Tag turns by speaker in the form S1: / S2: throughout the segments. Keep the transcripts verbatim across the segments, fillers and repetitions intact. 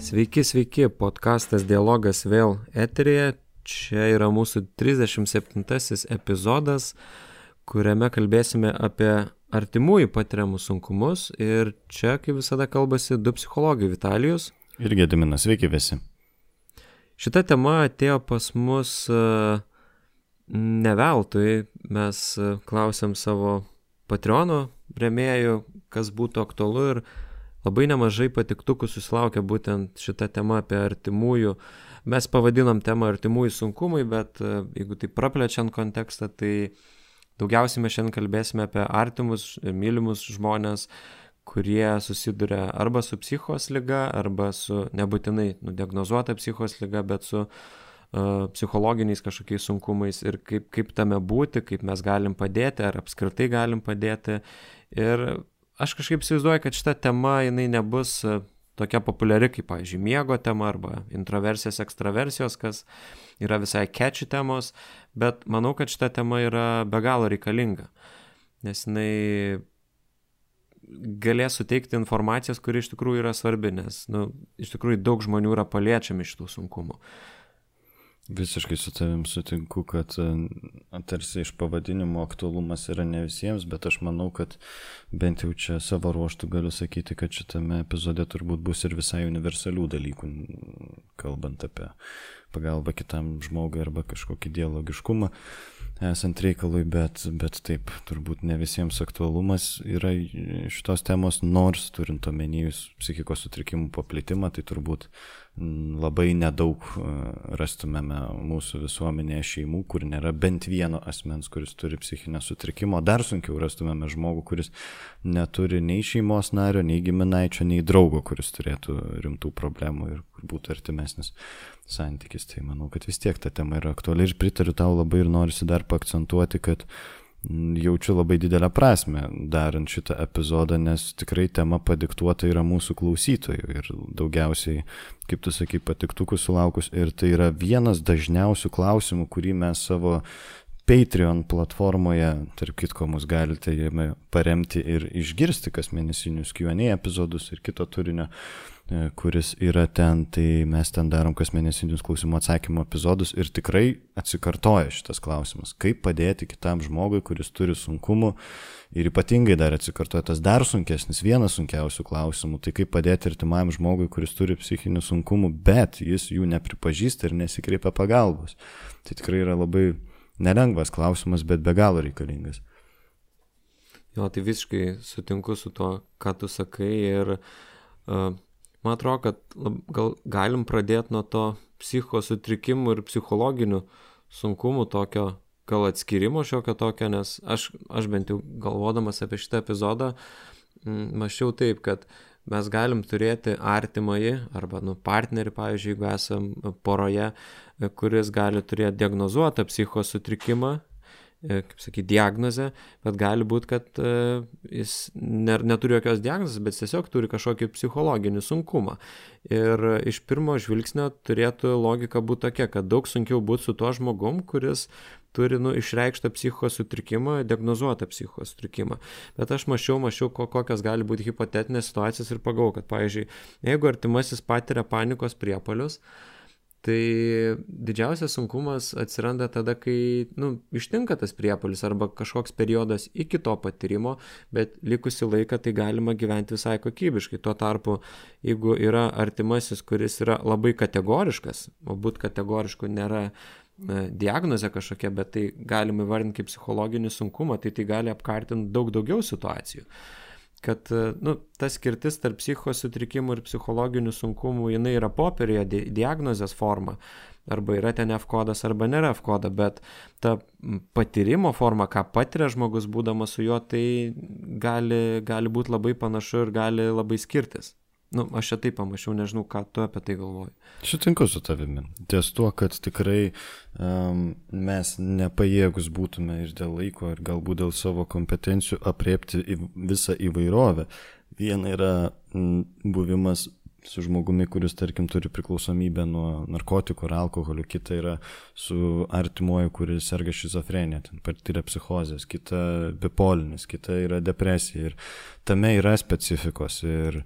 S1: Sveiki, sveiki, podkastas Dialogas vėl eteryje. Čia yra mūsų trisdešimt septintasis epizodas, kuriame kalbėsime apie artimųjų patiriamus sunkumus. Ir čia, kaip visada, kalbasi du psichologai Vitalijus
S2: ir Gediminas. Sveiki visi.
S1: Šita tema atėjo pas mus uh, ne veltui. Mes uh, klausėm savo Patreono rėmėjų, kas būtų aktualu, ir labai nemažai patiktukų susilaukė būtent šitą temą apie artimųjų. Mes pavadinom temą artimųjų sunkumai, bet uh, jeigu tai praplečiant kontekstą, tai daugiausiai mes šiandien kalbėsime apie artimus, mylimus žmonės, kurie susiduria arba su psichos liga, arba su nebūtinai nudiagnozuota psichos liga, bet su uh, psichologiniais kažkokiais sunkumais, ir kaip, kaip tame būti, kaip mes galim padėti, ar apskritai galim padėti. Ir aš kažkaip įsivaizduoju, kad šita tema jinai nebus tokia populiari kaip, pavyzdžiui, miego tema arba introversijos, ekstraversijos, kas yra visai catchy temos, bet manau, kad šita tema yra be galo reikalinga, nes jinai galės suteikti informacijos, kuri iš tikrųjų yra svarbi, nes nu, iš tikrųjų daug žmonių yra paliečiami šitų sunkumų.
S2: Visiškai su tavim sutinku, kad tarsi iš pavadinimo aktualumas yra ne visiems, bet aš manau, kad bent jau čia savo ruoštų galiu sakyti, kad šitame epizode turbūt bus ir visai universalių dalykų, kalbant apie pagalbą kitam žmogui arba kažkokį dialogiškumą esant reikalui, bet, bet taip, turbūt ne visiems aktualumas yra šitos temos, nors turint omenijus psichikos sutrikimų paplitimą, tai turbūt labai nedaug rastumėme mūsų visuomenėje šeimų, kur nėra bent vieno asmens, kuris turi psichinę sutrikimą. Dar sunkiau rastumėme žmogų, kuris neturi nei šeimos nario, nei giminaičio, nei draugo, kuris turėtų rimtų problemų ir kur būtų artimesnis santykis. Tai manau, kad vis tiek ta tema yra aktuali ir pritariu tau labai ir norisi dar paakcentuoti, kad jaučiu labai didelę prasmę darant šitą epizodą, nes tikrai tema padiktuota yra mūsų klausytojų ir daugiausiai, kaip tu sakai, patiktukų sulaukus, ir tai yra vienas dažniausių klausimų, kurį mes savo Patreon platformoje, tarp kitko, mus galite jame paremti ir išgirsti kas mėnesinius Q and A epizodus ir kito turinio, kuris yra ten, tai mes ten darom kas mėnesinius klausimų atsakymų epizodus ir tikrai atsikartoja šitas klausimas, kaip padėti kitam žmogui, kuris turi sunkumų, ir ypatingai dar atsikartoja tas dar sunkesnis, vienas sunkiausių klausimų, tai kaip padėti artimam žmogui, kuris turi psichinių sunkumų, bet jis jų nepripažįsta ir nesikreipia pagalbos. Tai tikrai yra labai nelengvas klausimas, bet be galo reikalingas.
S1: Jo, tai visiškai sutinku su to, ką tu sakai, ir uh, man atrodo, kad lab, gal galim pradėti nuo to psichikos sutrikimų ir psichologinių sunkumų, tokio gal atskirimo šiokio tokio, nes aš, aš bent jau galvodamas apie šitą epizodą m, mąsčiau taip, kad mes galim turėti artimąjį arba nu, partnerį, pavyzdžiui, jeigu esam poroje, kuris gali turėti diagnozuotą psichikos sutrikimą, kaip sakyti, diagnozę, bet gali būti, kad uh, jis ne, neturi jokios diagnozės, bet tiesiog turi kažkokį psichologinį sunkumą. Ir iš pirmo žvilgsnio turėtų logika būti tokia, kad daug sunkiau būti su tuo žmogum, kuris turi nu, išreikštą psichikos sutrikimą, diagnozuotą psichikos sutrikimą. Bet aš mačiau, mačiau, kokios gali būti hipotetinės situacijos ir pagalvojau, kad, pavyzdžiui, jeigu artimasis patiria panikos priepuolius, tai didžiausias sunkumas atsiranda tada, kai nu, ištinka tas priepuolis arba kažkoks periodas iki to patyrimo, bet likusį laiką tai galima gyventi visai kokybiškai. Tuo tarpu, jeigu yra artimasis, kuris yra labai kategoriškas, o būt kategorišku nėra diagnozė kažkokia, bet tai galima įvardinti kaip psichologinį sunkumą, tai tai gali apkartinti daug daugiau situacijų. Kad nu, ta skirtis tarp psichikos sutrikimų ir psichologinių sunkumų, jinai yra popierėje di- diagnozės forma, arba yra ten F kodas, arba nėra F koda, bet ta patyrimo forma, ką patiria žmogus būdamas su juo, tai gali, gali būti labai panašu ir gali labai skirtis. Nu, aš čia taip pamačiau, nežinau, ką tu apie tai galvoji.
S2: Sutinku su tavimi. Ties tuo, kad tikrai um, mes nepajėgus būtume ir dėl laiko, ir galbūt dėl savo kompetencijų apriepti visą įvairovę. Viena yra m, buvimas su žmogumi, kuris, tarkim, turi priklausomybę nuo narkotikų ar alkoholio, kita yra su artimuoju, kuris serga šizofrenija, ten patyrė psichozės, kita bipolinis, kita yra depresija ir tame yra specifikos ir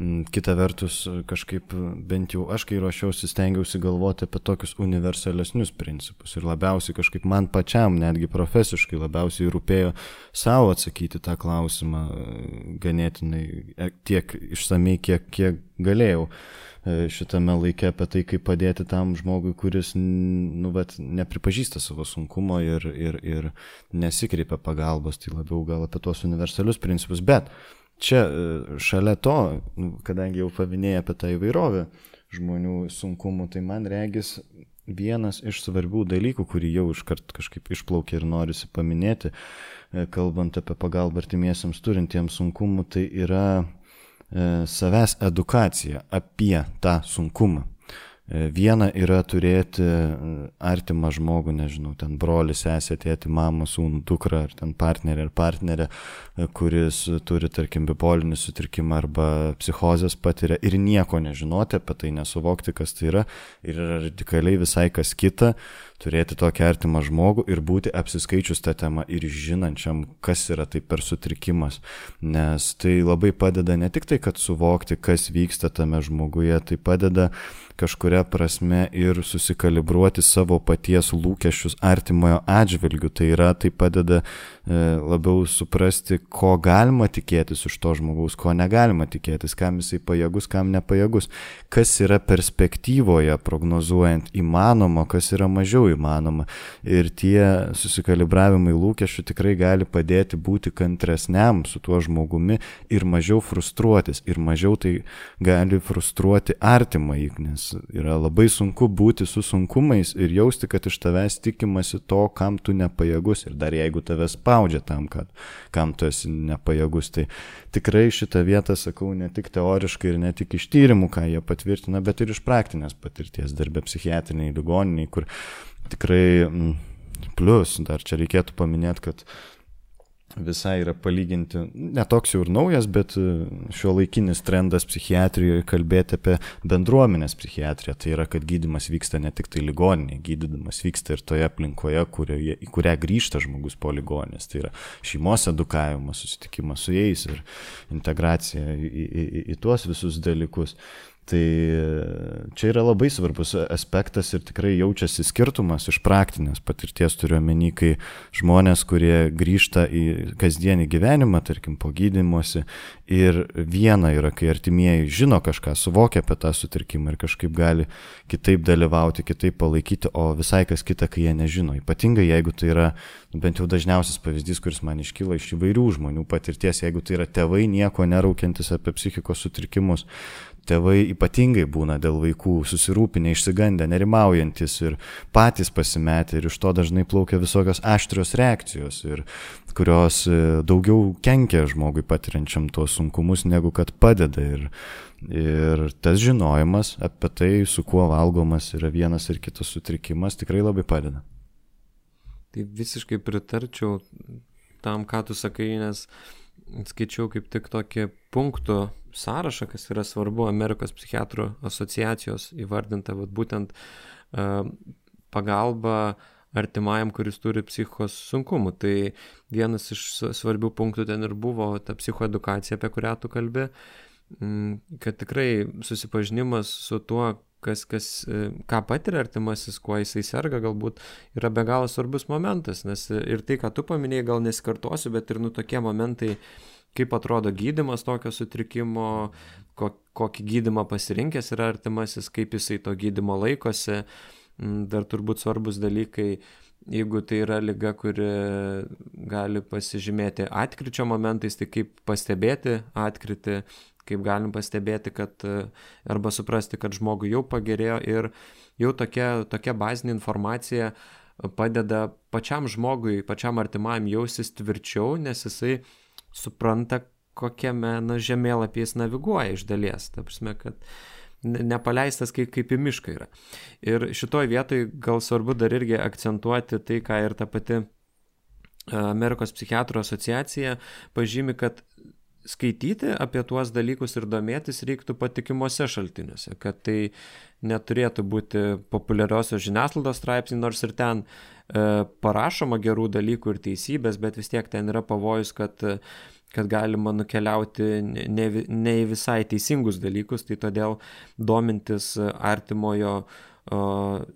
S2: m, kita vertus kažkaip bent jau aš, kai ruošiausi, stengiausi galvoti apie tokius universalesnius principus ir labiausiai kažkaip man pačiam, netgi profesiškai labiausiai rūpėjo savo atsakyti tą klausimą ganėtinai tiek išsamei, kiek, kiek galėjau šitame laike apie tai, kaip padėti tam žmogui, kuris nu, vat, nepripažįsta savo sunkumo ir, ir, ir nesikreipia pagalbos, tai labiau gal apie tuos universalius principus. Bet čia šalia to, kadangi jau paminėjai apie tą įvairovę žmonių sunkumų, tai man regis vienas iš svarbių dalykų, kurį jau iškart kažkaip išplaukė ir norisi paminėti, kalbant apie pagalbą artimiesiams turintiems sunkumų, tai yra savęs edukacija apie tą sunkumą. Viena yra turėti artimą žmogų, nežinau, ten brolį, sesę, tėtį, mamą, sūnų, dukrą, ar ten partnerį ar partnerę, kuris turi, tarkim, bipolinį sutrikimą arba psichozės patiria ir nieko nežinoti apie tai, nesuvokti, kas tai yra, ir yra radikaliai visai kas kita, turėti tokį artimą žmogų ir būti apsiskaičius tą temą ir žinančiam, kas yra tai per sutrikimas. Nes tai labai padeda ne tik tai, kad suvokti, kas vyksta tame žmoguje, tai padeda kažkuria prasme ir susikalibruoti savo paties lūkesčius artimojo atžvilgių. Tai yra, tai padeda e, labiau suprasti, ko galima tikėtis iš to žmogaus, ko negalima tikėtis, kam jisai pajėgus, kam nepajėgus, kas yra perspektyvoje prognozuojant įmanoma, kas yra mažiau įmanoma. Ir tie susikalibravimai lūkesčių tikrai gali padėti būti kantresniam su tuo žmogumi ir mažiau frustruotis. Ir mažiau tai gali frustruoti artimąjį, nes yra labai sunku būti su sunkumais ir jausti, kad iš tavęs tikimasi to, kam tu nepajėgus. Ir dar jeigu tave spaudžia tam, kad, kam tu esi nepajėgus. Tai tikrai šitą vietą sakau ne tik teoriškai ir ne tik iš tyrimų, ką jie patvirtina, bet ir iš praktinės patirties darbė psichiatriniai ligoniniai, kur tikrai plus, dar čia reikėtų paminėti, kad visai yra palyginti, netoks jau ir naujas, bet šio laikinis trendas psichiatrijoje kalbėti apie bendruomenės psichiatriją. Tai yra, kad gydymas vyksta ne tik tai ligoninėje, gydymas vyksta ir toje aplinkoje, kurioje, į kurią grįžta žmogus po ligoninės. Tai yra šeimos edukavimas, susitikimas su jais ir integracija į, į, į, į tuos visus dalykus. Tai čia yra labai svarbus aspektas ir tikrai jaučiasi skirtumas iš praktinės patirties, turiu omeny, kai žmonės, kurie grįžta į kasdienį gyvenimą, tarkim, po gydymosi, ir viena yra, kai artimieji žino kažką, suvokia apie tą sutrikimą ir kažkaip gali kitaip dalyvauti, kitaip palaikyti, o visai kas kita, kai jie nežino. Ypatingai, jeigu tai yra, bent jau dažniausias pavyzdys, kuris man iškyla iš įvairių žmonių patirties, jeigu tai yra tėvai nieko neraukiantis apie psichikos sutrikimus, tėvai ypatingai būna dėl vaikų susirūpinę, išsigandę, nerimaujantis ir patys pasimetę ir iš to dažnai plaukia visokios aštrios reakcijos, ir kurios daugiau kenkia žmogui patiriančiam tuos sunkumus, negu kad padeda. Ir, ir tas žinojimas apie tai, su kuo valgomas yra vienas ir kitas sutrikimas, tikrai labai padeda.
S1: Tai visiškai pritarčiau tam, ką tu sakai, nes skaičiau kaip tik tokį punktų sąrašą, kas yra svarbu Amerikos psichiatrų asociacijos įvardinta, vat, būtent uh, pagalba artimajam, kuris turi psichikos sunkumų. Tai vienas iš svarbių punktų ten ir buvo ta psichoedukacija, apie kurią tu kalbi, kad tikrai susipažinimas su tuo, kas, kas, ką patiria artimasis, kuo jisai serga, galbūt yra be galo svarbus momentas, nes ir tai, ką tu paminėjai, gal nesikartosiu, bet ir nu tokie momentai, kaip atrodo gydymas tokio sutrikimo, kokį gydymą pasirinkęs yra artimasis, kaip jisai to gydymo laikosi. Dar turbūt svarbus dalykai, jeigu tai yra liga, kuri gali pasižymėti atkryčio momentais, tai kaip pastebėti atkrytį, kaip galim pastebėti, kad arba suprasti, kad žmogui jau pagerėjo, ir jau tokia, tokia bazinė informacija padeda pačiam žmogui, pačiam artimajam jausis tvirčiau, nes jisai supranta, kokiame na, žemėlapį jis naviguoja iš dalies. Ta prasme, kad nepaleistas kaip, kaip į mišką yra. Ir šitoj vietoj gal svarbu dar irgi akcentuoti tai, ką ir ta pati Amerikos psichiatrų asociacija pažymi, kad skaityti apie tuos dalykus ir domėtis reiktų patikimuose šaltiniuose, kad tai neturėtų būti populiariosios žiniasklaidos straipsniai, nors ir ten e, parašoma gerų dalykų ir teisybės, bet vis tiek ten yra pavojus, kad, kad galima nukeliauti ne, ne į visai teisingus dalykus, tai todėl domintis artimojo o,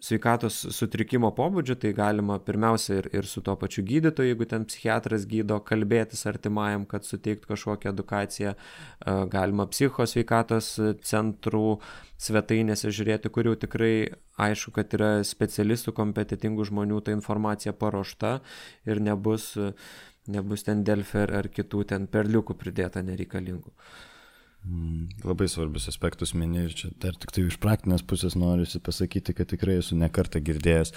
S1: sveikatos sutrikimo pobūdžiu, tai galima pirmiausia ir, ir su to pačiu gydytoju, jeigu ten psichiatras gydo, kalbėtis artimajam, kad suteiktų kažkokią edukaciją, galima psichikos sveikatos centrų svetainėse žiūrėti, kur jau tikrai aišku, kad yra specialistų, kompetitingų žmonių, ta informacija paruošta ir nebus, nebus ten Delfi ar kitų ten perliukų pridėta nereikalingų.
S2: Mm, labai svarbius aspektus mini ir čia dar tik tai iš praktinės pusės norisi pasakyti, kad tikrai esu ne kartą girdėjęs,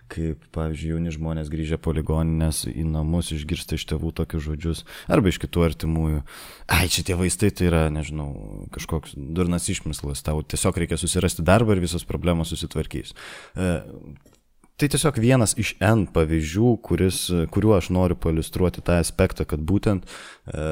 S2: kaip, pavyzdžiui, jauni žmonės grįžę po ligoninės į namus išgirsta iš tėvų tokius žodžius arba iš kitų artimųjų. Ai, čia tie vaistai tai yra, nežinau, kažkoks durnas išmislas, tau tiesiog reikia susirasti darbą ir visos problemos susitvarkys. E, Tai tiesiog vienas iš N pavyzdžių, kuris, kuriuo aš noriu pailiustruoti tą aspektą, kad būtent e,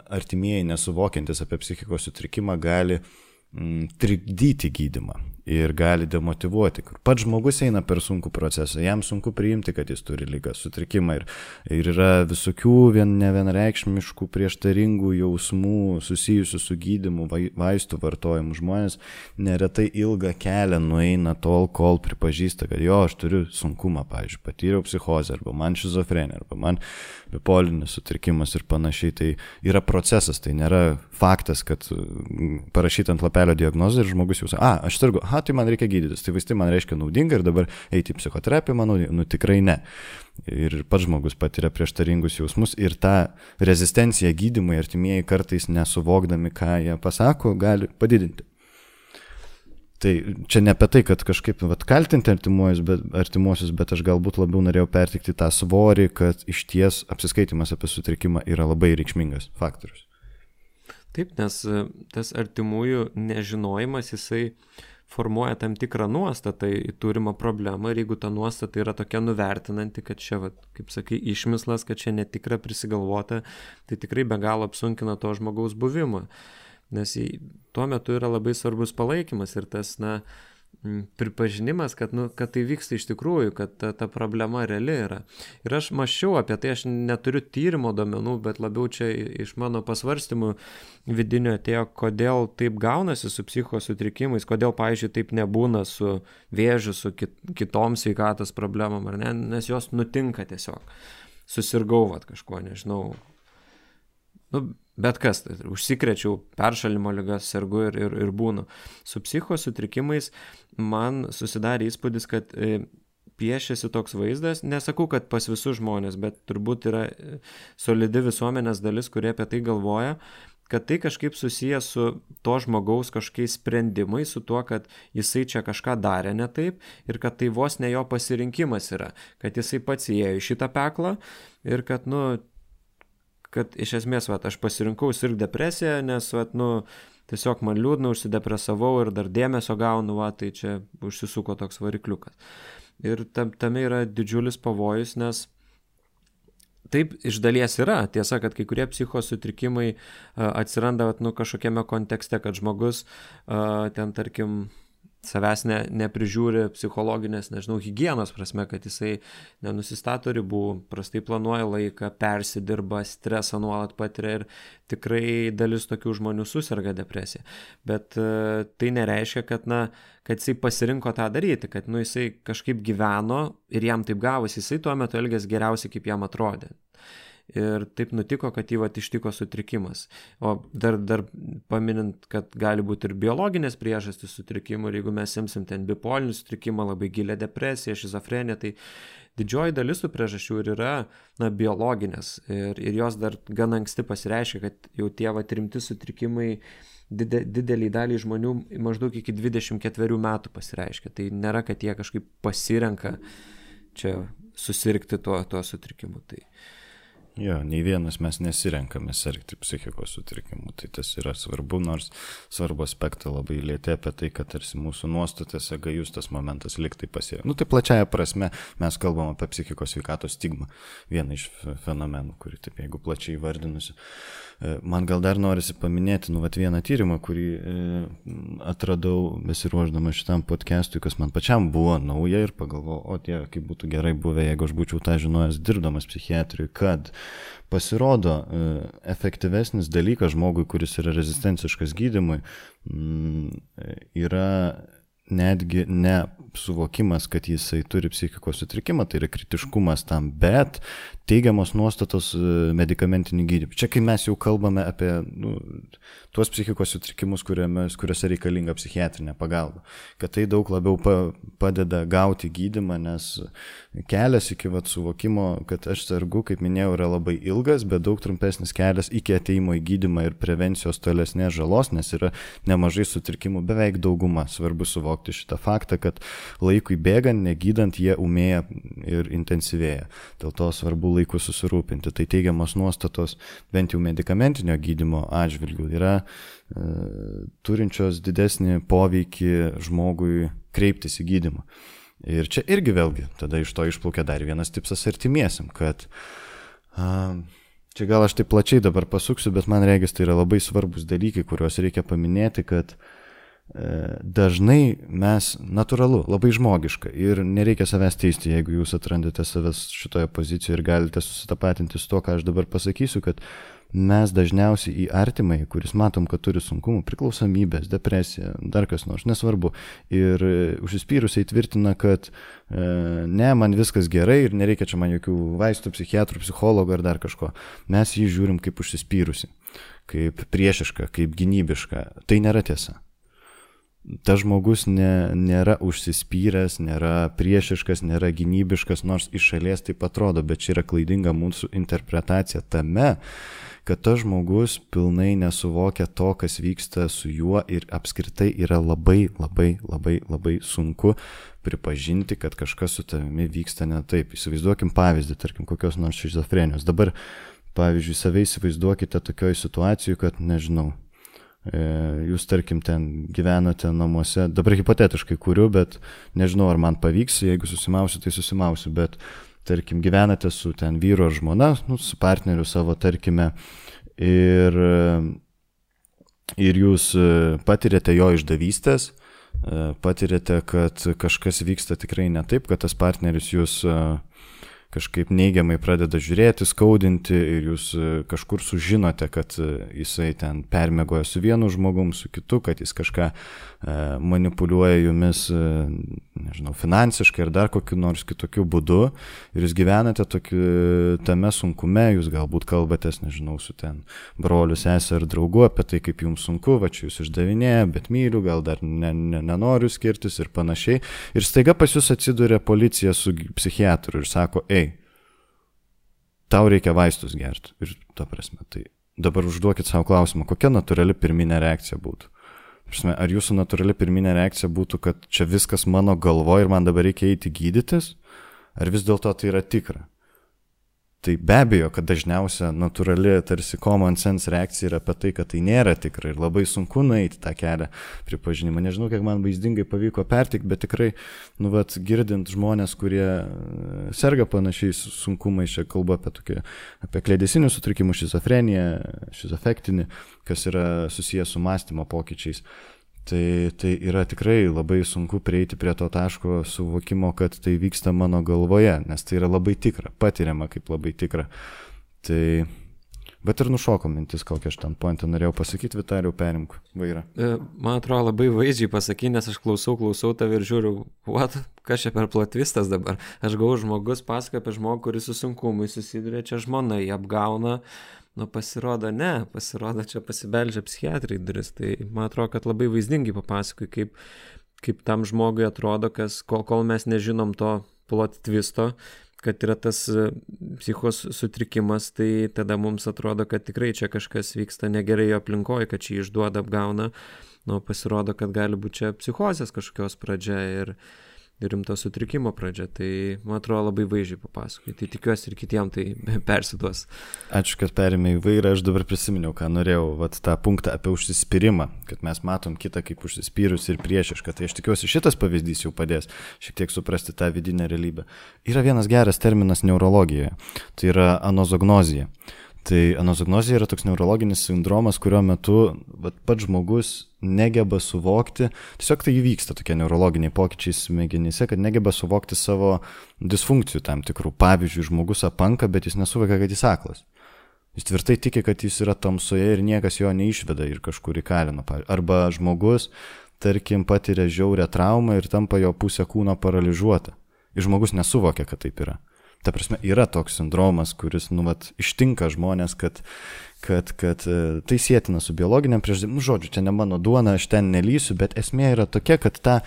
S2: artimieji nesuvokiantis apie psichikos sutrikimą gali m, trikdyti gydymą ir gali demotyvuoti. Kur pats žmogus eina per sunkų procesą, jam sunku priimti, kad jis turi ligą, sutrikimą ir, ir yra visokių vien, nevienareikšmiškų prieštaringų jausmų susijusių su gydymu, vaistų vartojimu. Žmonės neretai ilgą kelią nueina tol, kol pripažįsta, kad jo, aš turiu sunkumą, pavyzdžiui, patyriau psichozę, arba man šizofrenija, arba man bipolinis sutrikimas ir panašiai. Tai yra procesas, tai nėra faktas, kad parašyt ant lapelio diagnozę ir žmogus jau sako, a, aš sirgu, aha, tai man reikia gydytis, tai vaistai man reiškia naudinga ir dabar eiti į psichoterapiją, manau, nu tikrai ne. Ir pats žmogus patiria prieštaringus jausmus ir tą rezistenciją gydymui artimieji kartais nesuvokdami, ką jie pasako, gali padidinti. Tai čia ne apie tai, kad kažkaip vat, kaltinti artimuosius bet, artimuosius, bet aš galbūt labiau norėjau pertikti tą svorį, kad iš ties apsiskaitimas apie sutrikimą yra labai reikšmingas faktorius.
S1: Taip, nes tas artimųjų nežinojimas, jisai formuoja tam tikrą nuostatą į turimą problemą ir jeigu ta nuostata yra tokia nuvertinanti, kad čia, vat, kaip sakai, išmislas, kad čia netikra prisigalvota, tai tikrai be galo apsunkina to žmogaus buvimą. Nes tuo metu yra labai svarbus palaikymas ir tas, na, pripažinimas, kad, nu, kad tai vyksta iš tikrųjų, kad ta, ta problema reali yra. Ir aš mąsčiau apie tai, aš neturiu tyrimo duomenų, bet labiau čia iš mano pasvarstymų vidinio atėjo, kodėl taip gaunasi su psichikos sutrikimais, kodėl, pavyzdžiui, taip nebūna su vėžiu, su kit, kitom sveikatos problemom, ar ne, nes jos nutinka tiesiog. Susirgau vat kažko, nežinau, nu, bet kas, tai, užsikrečiau peršalimo ligas, sergu ir, ir, ir būnu. Su psichikos sutrikimais man susidarė įspūdis, kad e, piešiasi toks vaizdas, nesakau, kad pas visus žmonės, bet turbūt yra solidi visuomenės dalis, kurie apie tai galvoja, kad tai kažkaip susijęs su to žmogaus kažkokiais sprendimais, su tuo, kad jisai čia kažką darė ne taip ir kad tai vos ne jo pasirinkimas yra, kad jisai pats įėjo į šitą peklą ir kad, nu, kad iš esmės, vat, aš pasirinkau sirgti depresiją, nes, vat, nu, tiesiog man liūdna, užsidepresavau ir dar dėmesio gaunu, va, tai čia užsisuko toks varikliukas. Ir tam, tame yra didžiulis pavojus, nes taip iš dalies yra. Tiesa, kad kai kurie psichikos sutrikimai a, atsiranda, vat, nu, kažkokiame kontekste, kad žmogus a, ten, tarkim, savęs ne, neprižiūri psichologinės, nežinau, higienos prasme, kad jisai nenusistato ribų, prastai planuoja laiką, persidirba, stresą nuolat patiria ir tikrai dalis tokių žmonių susirga depresija. Bet uh, tai nereiškia, kad, na, kad jisai pasirinko tą daryti, kad, nu, jisai kažkaip gyveno ir jam taip gavosi, jisai tuo metu elgėsi geriausiai, kaip jam atrodė. Ir taip nutiko, kad jį vat ištiko sutrikimas. O dar, dar paminint, kad gali būti ir biologinės priežastys sutrikimų, ir jeigu mes imsim ten bipolinį sutrikimą, labai gilę depresiją, šizofreniją, tai didžioji dalis tų priežasčių ir yra, na, biologinės. Ir, ir jos dar gan anksti pasireiškia, kad jau tie vat rimti sutrikimai dide, didelį dalį žmonių maždaug iki dvidešimt ketverių metų pasireiškia. Tai nėra, kad jie kažkaip pasirenka čia susirgti tuo, tuo sutrikimu. Tai
S2: Jo, nei vienas mes nesirenkame sergti psichikos sutrikimų, tai tas yra svarbu, nors svarbu aspektą labai lietė apie tai, kad tarsi mūsų nuostatėse gajus tas momentas liktai pasėjo. Nu tai plačiaja prasme mes kalbam apie psichikos sveikatos stigmą, vieną iš fenomenų, kurį taip jeigu plačiai įvardinusi. Man gal dar norisi paminėti, nu, vat vieną tyrimą, kurį e, atradau besiruošdama šitam podcastui, kas man pačiam buvo nauja ir pagalvojau, o tie, kaip būtų gerai buvę, jeigu aš būčiau tą žinojęs dirbdamas psichiatrijui, kad pasirodo e, efektyvesnis dalykas žmogui, kuris yra rezistenciškas gydymui, m, yra netgi ne suvokimas, kad jisai turi psichikos sutrikimą, tai yra kritiškumas tam, bet teigiamos nuostatos medikamentinį gydymą. Čia kai mes jau kalbame apie nu, tuos psichikos sutrikimus, kuriuose reikalinga psichiatrinė pagalba, kad tai daug labiau pa, padeda gauti gydymą, nes kelias iki vat, suvokimo, kad aš sergu, kaip minėjau, yra labai ilgas, bet daug trumpesnis kelias iki ateimo į gydymą ir prevencijos tolesnės žalos, nes yra nemažai sutrikimų, beveik dauguma. Svarbu suvokti šitą faktą, kad laikui bėgant, negydant, jie umėja ir intensyvėja. Dėl to svarbu laiku susirūpinti. Tai teigiamos nuostatos bent jau medikamentinio gydymo atžvilgių yra e, turinčios didesnį poveikį žmogui kreiptis į gydymą. Ir čia irgi vėlgi tada iš to išplaukia dar vienas tipsas artimiesiam, kad a, čia gal aš taip plačiai dabar pasuksiu, bet man regis tai yra labai svarbus dalykai, kuriuos reikia paminėti, kad dažnai mes, natūralu, labai žmogiška ir nereikia savęs teisti, jeigu jūs atrandate savęs šitoje pozicijoje ir galite susitapatinti su to, ką aš dabar pasakysiu, kad mes dažniausiai į artimai, kuris matom, kad turi sunkumų, priklausomybės, depresiją, dar kas nors, nesvarbu, ir užsispyrusiai tvirtina, kad e, ne, man viskas gerai ir nereikia čia man jokių vaistų, psichiatrų, psichologų ar dar kažko. Mes jį žiūrim kaip užsispyrusi, kaip priešišką, kaip gynybišką. Tai nėra tiesa. Tas žmogus ne, nėra užsispyręs, nėra priešiškas, nėra gynybiškas, nors iš šalies taip atrodo, bet čia yra klaidinga mūsų interpretacija tame, kad tas žmogus pilnai nesuvokia to, kas vyksta su juo ir apskritai yra labai, labai, labai, labai sunku pripažinti, kad kažkas su tavimi vyksta ne taip. Įsivaizduokim pavyzdį, tarkim, kokios nors šizofrenijos. Dabar, pavyzdžiui, save įsivaizduokite tokioj situacijai, kad, nežinau, jūs, tarkim, ten gyvenote namuose, dabar hipotetiškai kuriu, bet nežinau, ar man pavyks, jeigu susimausiu, tai susimausiu, bet, tarkim, gyvenate su ten vyru ar žmona, nu, su partneriu savo, tarkime, ir, ir jūs patirėte jo išdavystės, patirėte, kad kažkas vyksta tikrai ne taip, kad tas partneris jūs kažkaip neigiamai pradeda žiūrėti, skaudinti ir jūs kažkur sužinote, kad jisai ten permiegoja su vienu žmogum, su kitu, kad jis kažką manipuliuoja jumis, nežinau, finansiškai ar dar kokiu nors kitokiu būdu ir jūs gyvenate tokiu, tame sunkume, jūs galbūt kalbatės, nežinau, su ten broliu, sesė ar draugu apie tai, kaip jums sunku, va čia jūs išdavinėja, bet myliu, gal dar ne, ne, nenoriu skirtis ir panašiai. Ir staiga pas jūs atsiduria policija su psichiatru ir sako, ei, tau reikia vaistus gerti. Ir ta prasme, tai dabar užduokit savo klausimą, kokia natūrali pirminė reakcija būtų. Prasme, ar jūsų natūrali pirminė reakcija būtų, kad čia viskas mano galvo ir man dabar reikia eiti gydytis? Ar vis dėlto tai yra tikra? Tai be abejo, kad dažniausia natūrali, tarsi common sense reakcija yra apie tai, kad tai nėra tikra ir labai sunku nueiti tą kelią pripažinimą. Nežinau, kiek man vaizdingai pavyko pertikti, bet tikrai, nu, vat, girdint žmonės, kurie serga panašiais sunkumais, čia kalba apie, tokį, apie kliedesinių sutrikimų, šizofreniją, šizofektinį, kas yra susijęs su mąstymo pokyčiais. Tai, tai yra tikrai labai sunku prieiti prie to taško suvokimo, kad tai vyksta mano galvoje, nes tai yra labai tikra, patiriama kaip labai tikra. Tai, bet ir nušoko mintis, kokią aš ten pointą norėjau pasakyti, Vitalijau, perimk vairą.
S1: Man atrodo, labai vaizdžiai pasakyti, nes aš klausau, klausau tave ir žiūriu, what, kas čia per plotvistas dabar. Aš gavau žmogus, pasakoja apie žmogų, kuris su sunkumui susiduria, čia žmona jį apgauna. Nu, pasirodo, ne, pasirodo, čia pasibeldžia psichiatrai duris, tai man atrodo, kad labai vaizdingai papasakoju, kaip, kaip tam žmogui atrodo, kas, kol, kol mes nežinom to plot twisto, kad yra tas psichos sutrikimas, tai tada mums atrodo, kad tikrai čia kažkas vyksta negerai jo aplinkoje, kad čia išduoda, apgauna, nu, pasirodo, kad gali būti čia psichozės kažkokios pradžia ir rimto sutrikimo pradžia. Tai, man atrodo, labai vaizdžiai papasakai. Tai tikiuosi ir kitiem tai persiduos.
S2: Ačiū, kad perėmė į vairą. Aš dabar prisiminiau, ką norėjau, vat, tą punktą apie užsispyrimą, kad mes matom kitą kaip užsispyrus ir priešišką. Tai aš tikiuosi, šitas pavyzdys jau padės šiek tiek suprasti tą vidinę realybę. Yra vienas geras terminas neurologijoje. Tai yra anozognozija. Tai anozognozija yra toks neurologinis sindromas, kurio metu vat, pats žmogus negeba suvokti, tiesiog tai įvyksta tokie neurologiniai pokyčiai smegenyse, kad negeba suvokti savo disfunkcijų tam tikrų. Pavyzdžiui, žmogus apanka, bet jis nesuvokia, kad jis aklas. Jis tvirtai tiki, kad jis yra tamsoje ir niekas jo neišveda ir kažkur įkalino. Arba žmogus, tarkim, patiria žiaurę traumą ir tampa jo pusė kūno paralyžiuota. Ir žmogus nesuvokia, kad taip yra. Ta prasme, yra toks sindromas, kuris, nu, vat, ištinka žmonės, kad, kad, kad tai sėtina su biologiniam priežastim. Nu, žodžiu, čia ne mano duona, aš ten nelysiu, bet esmė yra tokia, kad tą e,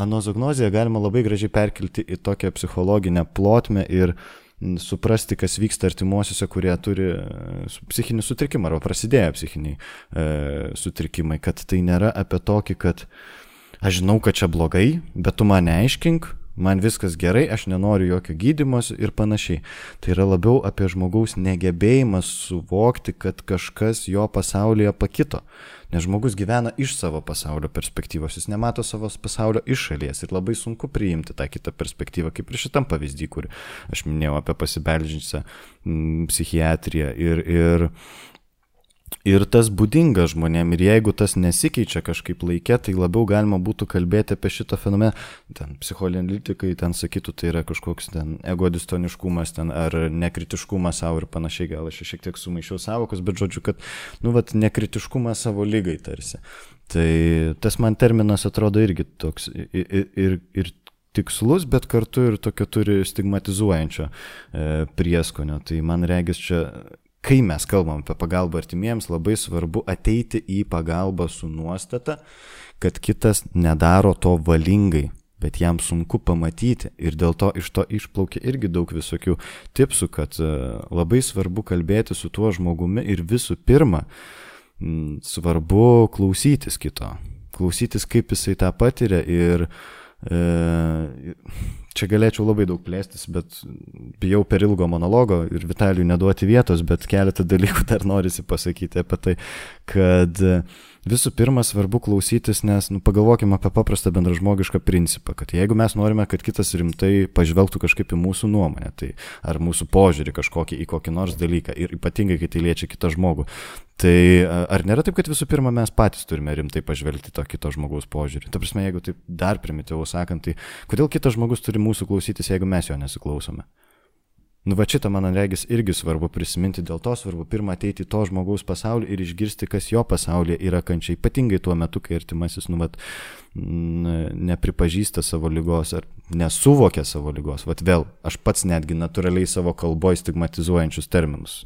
S2: anozognoziją galima labai gražiai perkelti į tokią psichologinę plotmę ir m, suprasti, kas vyksta artimuosiuose, kurie turi psichinį sutrikimą arba prasidėję psichiniai e, sutrikimai, kad tai nėra apie tokį, kad aš žinau, kad čia blogai, bet tu man neaiškink, man viskas gerai, aš nenoriu jokio gydymos ir panašiai. Tai yra labiau apie žmogaus negebėjimą suvokti, kad kažkas jo pasaulyje pakito. Nes žmogus gyvena iš savo pasaulio perspektyvos, jis nemato savo pasaulio iš šalies ir labai sunku priimti tą kitą perspektyvą, kaip ir šitam pavyzdį, kur aš minėjau apie pasibeldžiančią psichiatriją. Ir, ir Ir tas būdinga žmonėm, ir jeigu tas nesikeičia kažkaip laikė, tai labiau galima būtų kalbėti apie šitą fenomeną. Ten psichoanalitikai ten sakytų, tai yra kažkoks ten egodistoniškumas ten, ar nekritiškumas savo ir panašiai, gal aš šiek tiek sumaišiau savokus, bet žodžiu, kad, nu, vat, nekritiškumas savo lygai tarsi. Tai tas man terminas atrodo irgi toks ir, ir, ir tikslus, bet kartu ir tokio turi stigmatizuojančio e, prieskonio. Tai man regis čia, kai mes kalbam apie pagalbą artimiems, labai svarbu ateiti į pagalbą su nuostata, kad kitas nedaro to valingai, bet jam sunku pamatyti ir dėl to iš to išplaukia irgi daug visokių tipsų, kad labai svarbu kalbėti su tuo žmogumi ir visų pirma svarbu klausytis kito, klausytis kaip jisai tą patiria ir e, čia galėčiau labai daug plėstis, bet bijau per ilgo monologo ir Vitalijui neduoti vietos, bet keletą dalykų dar norisi pasakyti apie tai, kad visų pirma svarbu klausytis, nes nu, pagalvokime apie paprastą bendražmogišką principą, kad jeigu mes norime, kad kitas rimtai pažvelgtų kažkaip į mūsų nuomonę, tai ar mūsų požiūrį kažkokį į kokį nors dalyką ir ypatingai, kai tai liečia kitą žmogų, tai ar nėra taip, kad visų pirma mes patys turime rimtai pažvelgti to kito žmogaus požiūrį? Ta prasme, jeigu taip dar primityviau sakant, tai kodėl kitas žmogus turi mūsų klausytis, jeigu mes jo nesiklausome? Nu, va šitą, man regis, irgi svarbu prisiminti, dėl to svarbu pirmą ateiti į to žmogaus pasaulį ir išgirsti, kas jo pasaulyje yra kančia, ypatingai tuo metu, kai artimasis, nu, vat, nepripažįsta savo ligos ar nesuvokia savo ligos. Vat vėl, aš pats netgi natūraliai savo kalboje stigmatizuojančius terminus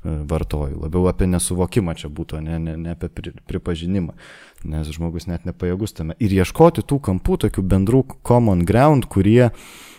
S2: vartoju. Labiau apie nesuvokimą čia būtų, ne, ne, ne apie pripažinimą, nes žmogus net nepajėgus tame. Ir ieškoti tų kampų, tokių bendrų common ground, kurie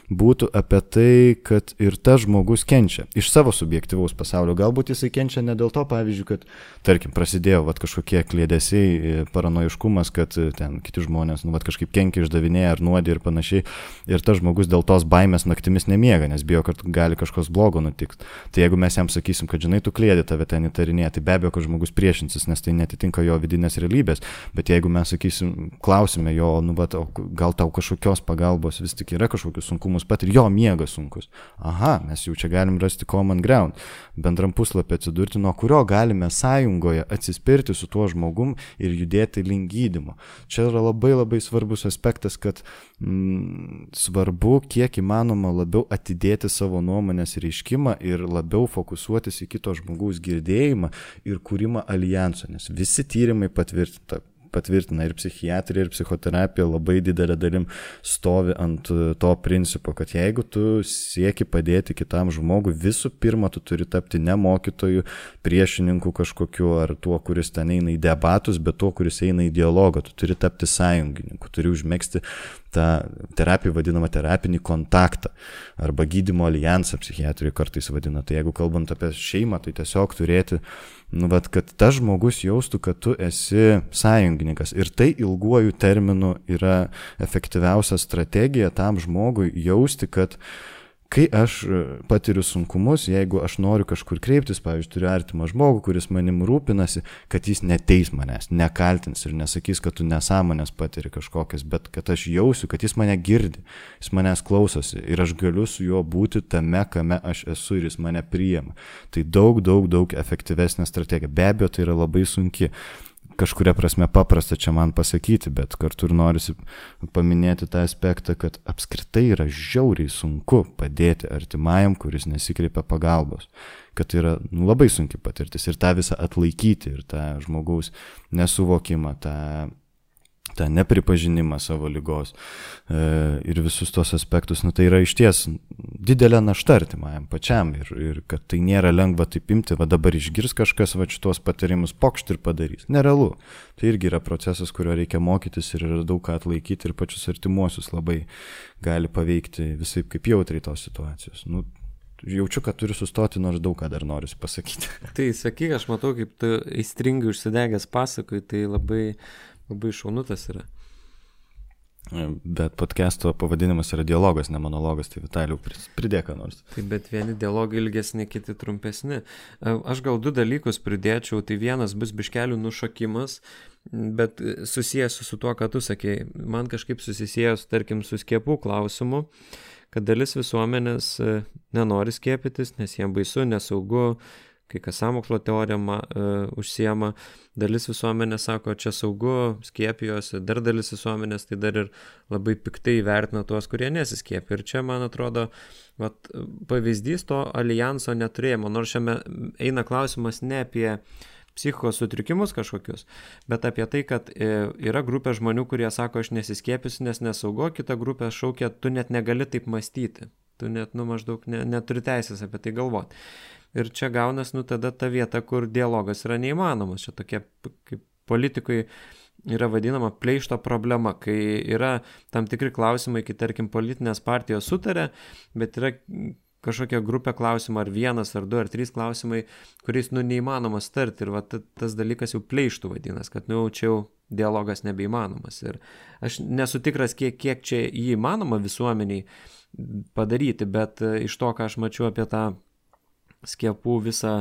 S2: būtų apie tai, kad ir tas žmogus kenčia iš savo subjektyvaus pasaulio. Galbūt jisai kenčia ne dėl to, pavyzdžiui, kad, tarkim, prasidėjo vat, kažkokie kliedesiai, paranojiškumas, kad ten kiti žmonės nu, vat, kažkaip kenkia, išdavinėja ar nuodė ir panašiai. Ir tas žmogus dėl tos baimės naktimis nemiega, nes bijo, kad gali kažkas blogo nutikti. Tai jeigu mes jam sakysim, kad žinai, tu kliedė, tave ten įtarinėja, tai be abejo, kad žmogus priešinsis, nes tai netitinka jo vidinės realybės. Bet jeigu mes sakysim, klausime jo, nu, vat, gal tau kažkokios pagalbos vis tik yra kažkokius sunkumus pat ir jo miegas sunkus. Aha, mes jau čia galim rasti common ground, bendram puslapį atsidurti, nuo kurio galime sąjungoje atsispirti su tuo žmogum ir judėti link gydymo. Čia yra labai labai svarbus aspektas, kad mm, svarbu kiek įmanoma labiau atidėti savo nuomonės reiškimą ir labiau fokusuotis į kito žmogaus girdėjimą ir kūrimą alijanso, nes visi tyrimai patvirtinta. patvirtina ir psichiatrija, ir psichoterapija labai didelė dalim stovi ant to principo, kad jeigu tu sieki padėti kitam žmogui, visų pirma, tu turi tapti ne mokytoju, priešininku kažkokiu, ar tuo, kuris ten eina į debatus, bet tuo, kuris eina į dialogą, tu turi tapti sąjungininku, turi užmegzti tą terapiją vadinamą terapinį kontaktą arba gydymo alijansą psichiatrijoje kartais vadina. Tai jeigu kalbant apie šeimą, tai tiesiog turėti, nu, vat, kad tas žmogus jaustų, kad tu esi sąjungininkas, sąjungininkas. Ir tai ilguoju terminu yra efektyviausia strategija tam žmogui jausti, kad kai aš patiriu sunkumus, jeigu aš noriu kažkur kreiptis, pavyzdžiui, turiu artimą žmogų, kuris manim rūpinasi, kad jis neteis manęs, nekaltins ir nesakys, kad tu nesąmonės patiri kažkokias, bet kad aš jausiu, kad jis mane girdi, jis manęs klausosi ir aš galiu su juo būti tame, kame aš esu ir jis mane priima. Tai daug, daug, daug efektyvesnė strategija. Be abejo, tai yra labai sunki. Kažkuria prasme paprasta čia man pasakyti, bet kartu ir norisi paminėti tą aspektą, kad apskritai yra žiauriai sunku padėti artimajam, kuris nesikreipia pagalbos. Kad tai yra nu, labai sunki patirtis ir tą visą atlaikyti ir tą žmogaus nesuvokimą, tą, tą nepripažinimą savo ligos e, ir visus tos aspektus. Nu, tai yra išties didelė našta artimajam pačiam ir, ir kad tai nėra lengva taip imti, va dabar išgirs kažkas va šitos patarimus, pokšt ir padarys. Nerealu. Tai irgi yra procesas, kurio reikia mokytis ir yra daug ką atlaikyti ir pačius artimuosius labai gali paveikti visai kaip jautriai tos situacijos. Nu, jaučiu, kad turiu sustoti, nors daug ką dar noriu pasakyti.
S1: Tai sakyk, aš matau, kaip tu įstringai užsidegęs pasakoji, tai labai, labai šaunutas yra.
S2: Bet podcast'o pavadinimas yra dialogas, ne monologas, tai Vitalijau pridėka nors.
S1: Tai bet vieni dialogai ilgesni, kiti trumpesni. Aš gal du dalykus pridėčiau, tai vienas bus biškelių nušokimas, bet susijęs su tuo, ką tu sakei. Man kažkaip susisėjęs, tarkim, su skiepų klausimu, kad dalis visuomenės nenori skiepytis, nes jiem baisu, nesaugu, kai kas sąmokslo teoriją uh, užsiema, dalis visuomenės sako, čia saugu, skiepijosi, dar dalis visuomenės tai dar ir labai piktai vertina tuos, kurie nesiskiepia. Ir čia, man atrodo, vat, pavyzdys to alijanso neturėjimo, nors šiame eina klausimas ne apie psichikos sutrikimus kažkokius, bet apie tai, kad yra grupė žmonių, kurie sako, aš nesiskiepysiu, nes nesaugu, kita grupė šaukia, tu net negali taip mąstyti, tu net, nu, maždaug ne, neturi teisės apie tai galvoti. Ir čia gaunas, nu, tada ta vieta, kur dialogas yra neįmanomas. Čia tokia, kaip politikui yra vadinama pleišto problema, kai yra tam tikri klausimai, kai, tarkim, politinės partijos sutarė, bet yra kažkokia grupė klausimų, ar vienas, ar du, ar trys klausimai, kuriais, nu, neįmanoma starti. Ir va, tas dalykas jau pleištų vadinas, kad, nu, čia jau dialogas nebeįmanomas. Ir aš nesu tikras, kiek, kiek čia jį įmanoma visuomeniai padaryti, bet iš to, ką aš mačiau apie tą skiepų visą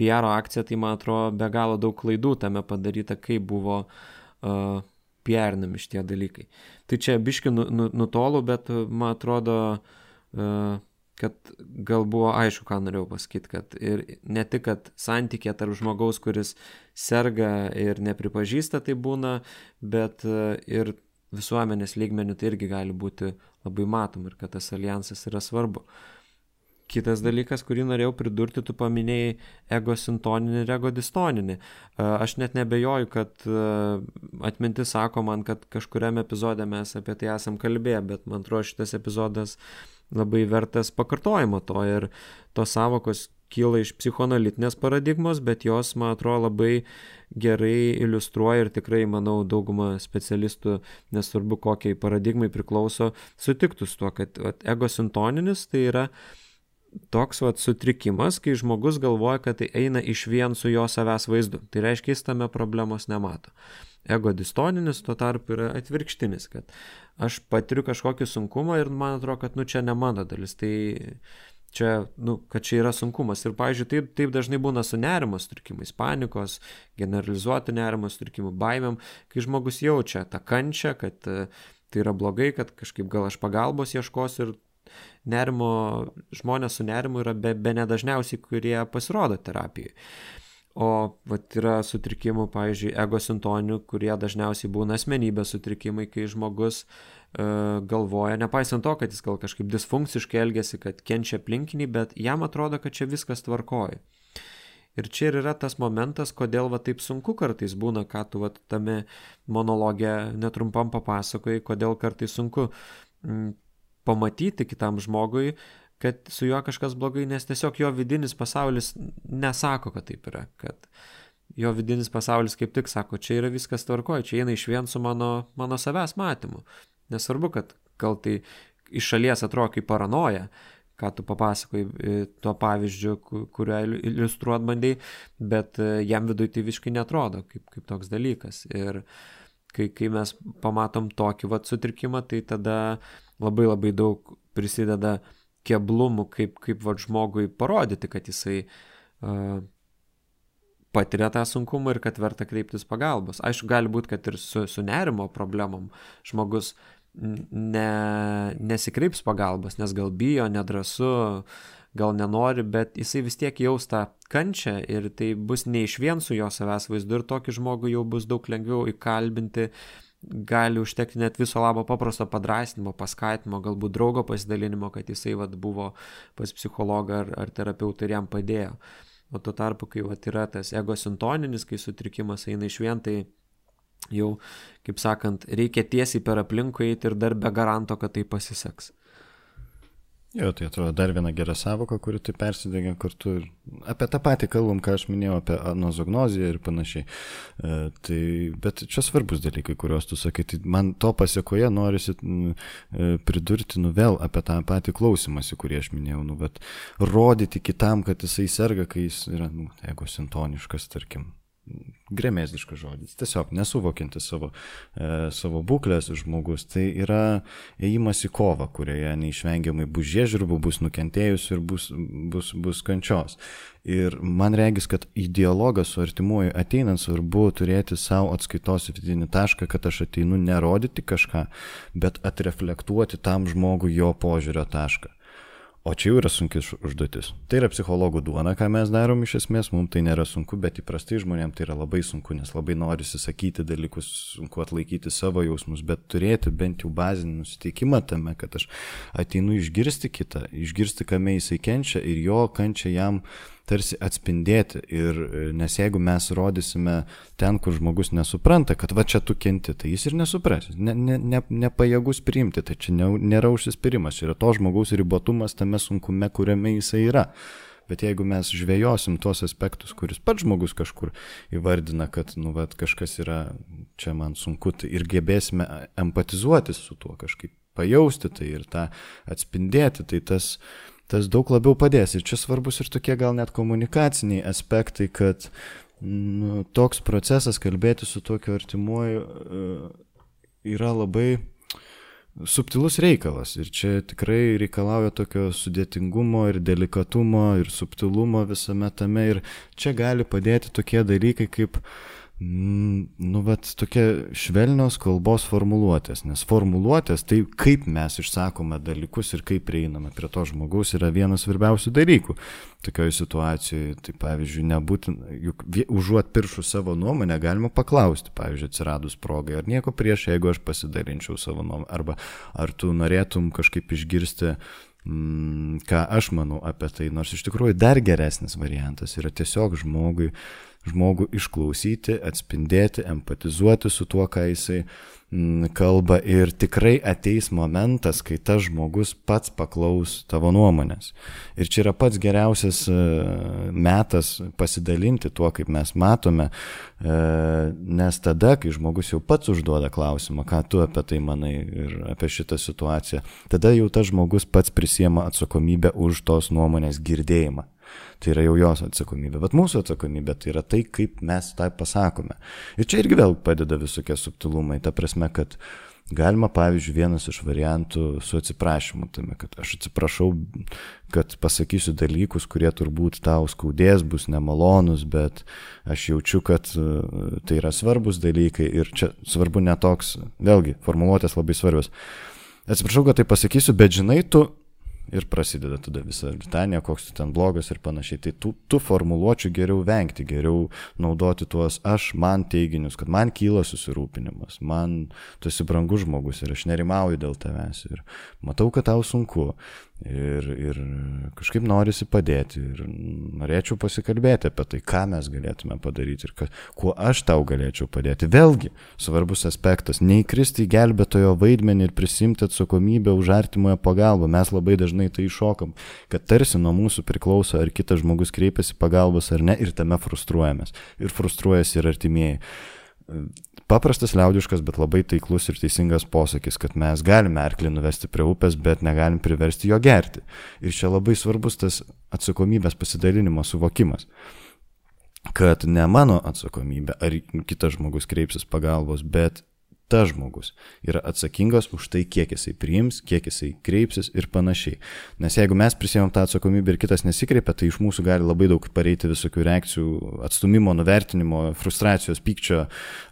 S1: P R akciją, tai man atrodo be galo daug klaidų tame padaryta, kaip buvo uh, P R-nami šitie dalykai. Tai čia biški nu, nu, nutolu, bet man atrodo, uh, kad gal buvo aišku, ką norėjau pasakyti, kad ir ne tik, kad santykė tarp žmogaus, kuris serga ir nepripažįsta, tai būna, bet uh, ir visuomenės lygmenių tai irgi gali būti labai matom ir kad tas alijansas yra svarbu. Kitas dalykas, kurį norėjau pridurti, tu paminėjai egosintoninį ir egodistoninį. Aš net nebejoju, kad atmintis sako man, kad kažkuriame epizode mes apie tai esam kalbėję, bet man atrodo šitas epizodas labai vertas pakartojimo to ir tos savokos kyla iš psichoanalitinės paradigmos, bet jos, man atrodo, labai gerai iliustruoja ir tikrai, manau, dauguma specialistų, nesvarbu kokiai paradigmai priklauso, sutiktų su tuo, kad vat, egosintoninis tai yra toks vat, sutrikimas, kai žmogus galvoja, kad tai eina iš vien su jo savęs vaizdu. Tai reiškia, jis tame problemos nemato. Egodistoninis tuo tarpu yra atvirkštinis, kad aš patiriu kažkokį sunkumą ir man atrodo, kad nu, čia ne mano dalis. Tai čia, nu, kad čia yra sunkumas. Ir, pavyzdžiui, taip, taip dažnai būna su nerimo sutrikimais, panikos, generalizuotų nerimo sutrikimų, baimėm, kai žmogus jaučia tą kančią, kad tai yra blogai, kad kažkaip gal aš pagalbos ieškosiu ir nerimo, žmonės su nerimu yra be, be nedažniausiai, kurie pasirodo terapijai. O vat, yra sutrikimų, pavyzdžiui, egosintoninių, kurie dažniausiai būna asmenybės sutrikimai, kai žmogus e, galvoja, nepaisant to, kad jis gal kažkaip disfunkciškai elgiasi, kad kenčia aplinkiniai, bet jam atrodo, kad čia viskas tvarkoja. Ir čia ir yra tas momentas, kodėl va, taip sunku kartais būna, ką tu va, tame monologe netrumpam papasakojai, kodėl kartais sunku m, pamatyti kitam žmogui, kad su juo kažkas blogai, nes tiesiog jo vidinis pasaulis nesako, kad taip yra, kad jo vidinis pasaulis kaip tik sako, čia yra viskas tvarkoja, čia eina iš vien su mano, mano savęs matymu. Nesvarbu, kad gal tai iš šalies atrodo kaip paranoja, ką tu papasakoji tuo pavyzdžiu, kuriuo iliustruot bandai, bet jam viduje tai visiškai netrodo kaip, kaip toks dalykas. Ir kai, kai mes pamatom tokį vat sutrikimą, tai tada labai labai daug prisideda keblumų, kaip, kaip vat žmogui parodyti, kad jisai uh, patiria tą sunkumą ir kad verta kreiptis pagalbos. Aišku, gali būti, kad ir su, su nerimo problemom žmogus ne, nesikreips pagalbos, nes gal bijo, nedrąsu, gal nenori, bet jisai vis tiek jaus tą kančią ir tai bus ne iš vien su jo savęs vaizdu ir tokį žmogų jau bus daug lengviau įkalbinti, gali užtekti net viso labo paprasto padrasnimo, paskatinimo, galbūt draugo pasidalinimo, kad jisai vat, buvo pas psichologą ar, ar terapeutą ir jam padėjo. O tuo tarpu, kai vat, yra tas egosintoninis, kai sutrikimas eina iš vien, tai jau, kaip sakant, reikia tiesiai per aplinkui eiti ir dar be garanto, kad tai pasiseks.
S2: Jo, tai atrodo dar viena gera savoka, kuri tai persidengia kartu ir apie tą patį kalbam, ką aš minėjau, apie anozognoziją ir panašiai. E, tai, bet čia svarbus dalykai, kuriuos tu sakai, tai man to pasiekoje norisi e, pridurti nu vėl apie tą patį klausimąsi, kurį aš minėjau, nu, bet rodyti kitam, kad jisai serga, kai jis yra nu, egosintoniškas, tarkim. Gremėzdiškas žodis, tiesiog nesuvokinti savo, e, savo būklės žmogus, tai yra ėjimas į kovą, kurioje neišvengiamai bus žiežirbų, bus nukentėjusių ir bus, bus, bus kančios. Ir man regis, kad į dialogą su artimuoju ateinant svarbu turėti savo atskaitos vidinį tašką, kad aš ateinu nerodyti kažką, bet atreflektuoti tam žmogui jo požiūrio tašką. O čia jau yra sunki užduotis. Tai yra psichologų duona, ką mes darom iš esmės, mums tai nėra sunku, bet įprastai žmonėms tai yra labai sunku, nes labai norisi sakyti dalykus, sunku atlaikyti savo jausmus, bet turėti bent jau bazinį nusiteikimą tame, kad aš ateinu išgirsti kitą, išgirsti, kame jisai kenčia ir jo kančia jam tarsi atspindėti. Ir nes jeigu mes rodysime ten, kur žmogus nesupranta, kad va čia tu kenti, tai jis ir nesupras, ne, ne, ne, nepajėgus priimti, tai čia ne, nėra užsispyrimas, čia yra to žmogaus ribotumas tame sunkume, kuriame jisai yra. Bet jeigu mes žvejosim tuos aspektus, kuris pats žmogus kažkur įvardina, kad nu, vat, kažkas yra čia man sunku, tai ir gebėsime empatizuoti su tuo, kažkaip pajausti tai ir tą atspindėti, tai tas tas daug labiau padės. Ir čia svarbus ir tokie gal net komunikaciniai aspektai, kad nu, toks procesas kalbėti su tokiu artimuoju yra labai subtilus reikalas. Ir čia tikrai reikalauja tokio sudėtingumo ir delikatumo ir subtilumo visame tame. Ir čia gali padėti tokie dalykai kaip nu, vat, tokia švelnios kalbos formuluotės, nes formuluotės, tai kaip mes išsakome dalykus ir kaip prieiname prie to žmogaus yra vienas svarbiausių dalykų. Tokioje situacijoje, tai pavyzdžiui, nebūtina, juk užuot piršų savo nuomonę galima paklausti, pavyzdžiui, atsiradus progai, ar nieko prieš, jeigu aš pasidalinčiau savo nuomonę, arba ar tu norėtum kažkaip išgirsti, mm, ką aš manau apie tai, nors iš tikrųjų dar geresnis variantas yra tiesiog žmogui žmogų išklausyti, atspindėti, empatizuoti su tuo, ką jisai m, kalba ir tikrai ateis momentas, kai tas žmogus pats paklaus tavo nuomonės. Ir čia yra pats geriausias e, metas pasidalinti tuo, kaip mes matome, e, nes tada, kai žmogus jau pats užduoda klausimą, ką tu apie tai manai ir apie šitą situaciją, tada jau tas žmogus pats prisiema atsakomybę už tos nuomonės girdėjimą. Tai yra jau jos atsakomybė, bet mūsų atsakomybė tai yra tai, kaip mes tai pasakome. Ir čia irgi vėl padeda visokie subtilumai, ta prasme, kad galima, pavyzdžiui, vienas iš variantų su atsiprašymu, tame, kad aš atsiprašau, kad pasakysiu dalykus, kurie turbūt tau skaudės, bus nemalonus, bet aš jaučiu, kad tai yra svarbus dalykai ir čia svarbu netoks, vėlgi, formuluotės labai svarbios. Atsiprašau, kad tai pasakysiu, bet žinai, tu ir prasideda tada visa litanija, koks tu ten blogas ir panašiai. Tai tų, tų formuluočių geriau vengti, geriau naudoti tuos aš, man teiginius, kad man kyla susirūpinimas, man tu esi brangus žmogus ir aš nerimauju dėl tavęs ir matau, kad tau sunku ir, ir kažkaip norisi padėti ir norėčiau pasikalbėti apie tai, ką mes galėtume padaryti ir ka, kuo aš tau galėčiau padėti. Vėlgi, svarbus aspektas, neįkristi į gelbėtojo vaidmenį ir prisimti atsakomybę už artimojo pagalbą. Mes labai dažnai tai iššokam, kad tarsi nuo mūsų priklauso, ar kitas žmogus kreipiasi pagalbos ar ne, ir tame frustruojamės. Ir frustruojasi ir artimieji. Paprastas liaudiškas, bet labai taiklus ir teisingas posakis, kad mes galime arklį nuvesti prie upės, bet negalim priversti jo gerti. Ir čia labai svarbus tas atsakomybės pasidalinimo suvokimas, kad ne mano atsakomybė, ar kitas žmogus kreipsis pagalbos, bet tas žmogus yra atsakingas už tai, kiek jisai priims, kiek jisai kreipsis ir panašiai. Nes jeigu mes prisėmėm tą atsakomybę ir kitas nesikreipia, tai iš mūsų gali labai daug pareiti visokių reakcijų, atstumimo, nuvertinimo, frustracijos, pykčio,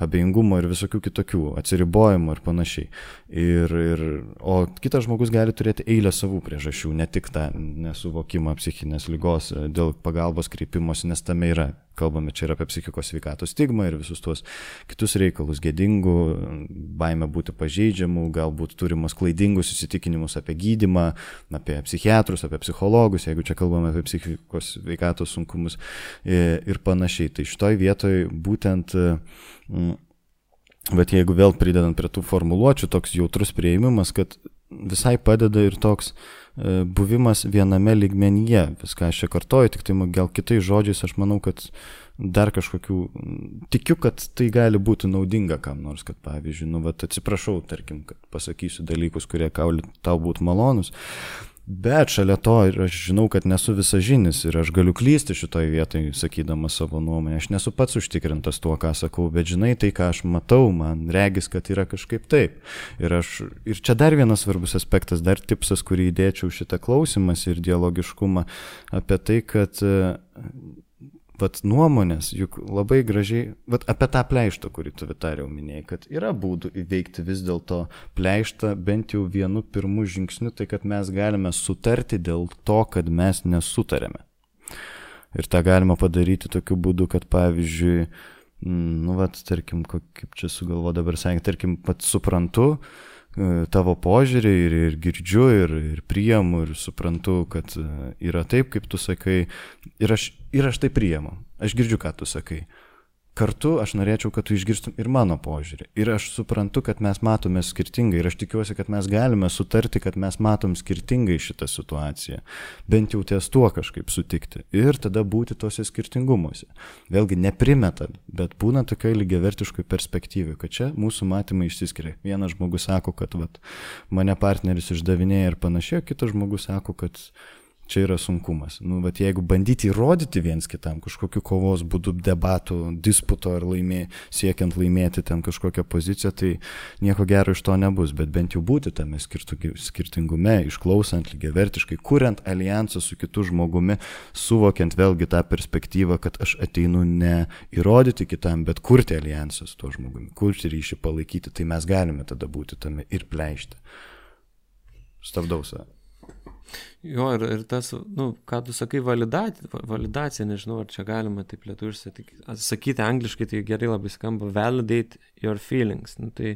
S2: abejingumo ir visokių kitokių, atsiribojimo ir panašiai. Ir, ir, o kitas žmogus gali turėti eilę savų priežasčių, ne tik tą nesuvokimą psichinės ligos dėl pagalbos kreipimosi, nes tame yra. Kalbame čia ir apie psichikos sveikatos stigmą ir visus tuos kitus reikalus, gėdingų, baimę būti pažeidžiamų, galbūt turimus klaidingus įsitikinimus apie gydymą, apie psichiatrus, apie psichologus, jeigu čia kalbame apie psichikos sveikatos sunkumus ir panašiai. Tai šitoj vietoj būtent, bet jeigu vėl pridedant prie tų formuluočių, toks jautrus priėmimas, kad visai padeda ir toks buvimas viename lygmenyje. Viską aš čia kartoju, tik tai gal kitais žodžiais aš manau, kad dar kažkokių, tikiu, kad tai gali būti naudinga kam nors, kad pavyzdžiui, nu, vat, atsiprašau, tarkim, kad pasakysiu dalykus, kurie tau būtų malonus, bet šalia to ir aš žinau, kad nesu visažinis ir aš galiu klysti šitoj vietoj, sakydamas savo nuomonę, aš nesu pats užtikrintas tuo, ką sakau, bet žinai, tai, ką aš matau, man regis, kad yra kažkaip taip. Ir, aš, ir čia dar vienas svarbus aspektas, dar tipsas, kurį įdėčiau šitą klausimas ir dialogiškumą, apie tai, kad vat nuomonės, juk labai gražiai, vat apie tą pleištą, kurį tu Vitariau minėjai, kad yra būdų įveikti vis dėlto pleištą bent jau vienu pirmu žingsniu, tai kad mes galime sutarti dėl to, kad mes nesutarėme. Ir tą galima padaryti tokiu būdu, kad pavyzdžiui, nu vat, tarkim, kaip čia sugalvo dabar sakė, tarkim, pats suprantu tavo požiūrį ir, ir girdžiu ir, ir priimu ir suprantu, kad yra taip, kaip tu sakai, ir aš, ir aš tai priimu. Aš girdžiu, ką tu sakai. Kartu aš norėčiau, kad tu išgirstum ir mano požiūrį. Ir aš suprantu, kad mes matome skirtingai ir aš tikiuosi, kad mes galime sutarti, kad mes matom skirtingai šitą situaciją. Bent jau ties tuo kažkaip sutikti. Ir tada būti tose skirtingumuose. Vėlgi neprimetant, bet būna tokioj lygiavertiškoj perspektyvai, kad čia mūsų matymai išsiskiria. Vienas žmogus sako, kad vat, mane partneris išdavinėja ir panašiai, kitas žmogus sako, kad čia yra sunkumas. Nu, bet jeigu bandyti įrodyti viens kitam kažkokiu kovos būdu, debatų, disputo ar laimė, siekiant laimėti ten kažkokią poziciją, tai nieko gero iš to nebus, bet bent jau būti tame skirtingume, išklausant lygiavertiškai, kuriant alijansą su kitu žmogumi, suvokiant vėlgi tą perspektyvą, kad aš ateinu ne įrodyti kitam, bet kurti alijansą su tuo žmogumi, kurti ryšį, palaikyti, tai mes galime tada būti tame ir pleišti. Stabdau save.
S1: Jo, ir, ir tas, nu, ką tu sakai, validacija, validacija, nežinau, ar čia galima taip lietuviškai sakyti angliškai, tai gerai labai skamba, validate your feelings. Nu, tai,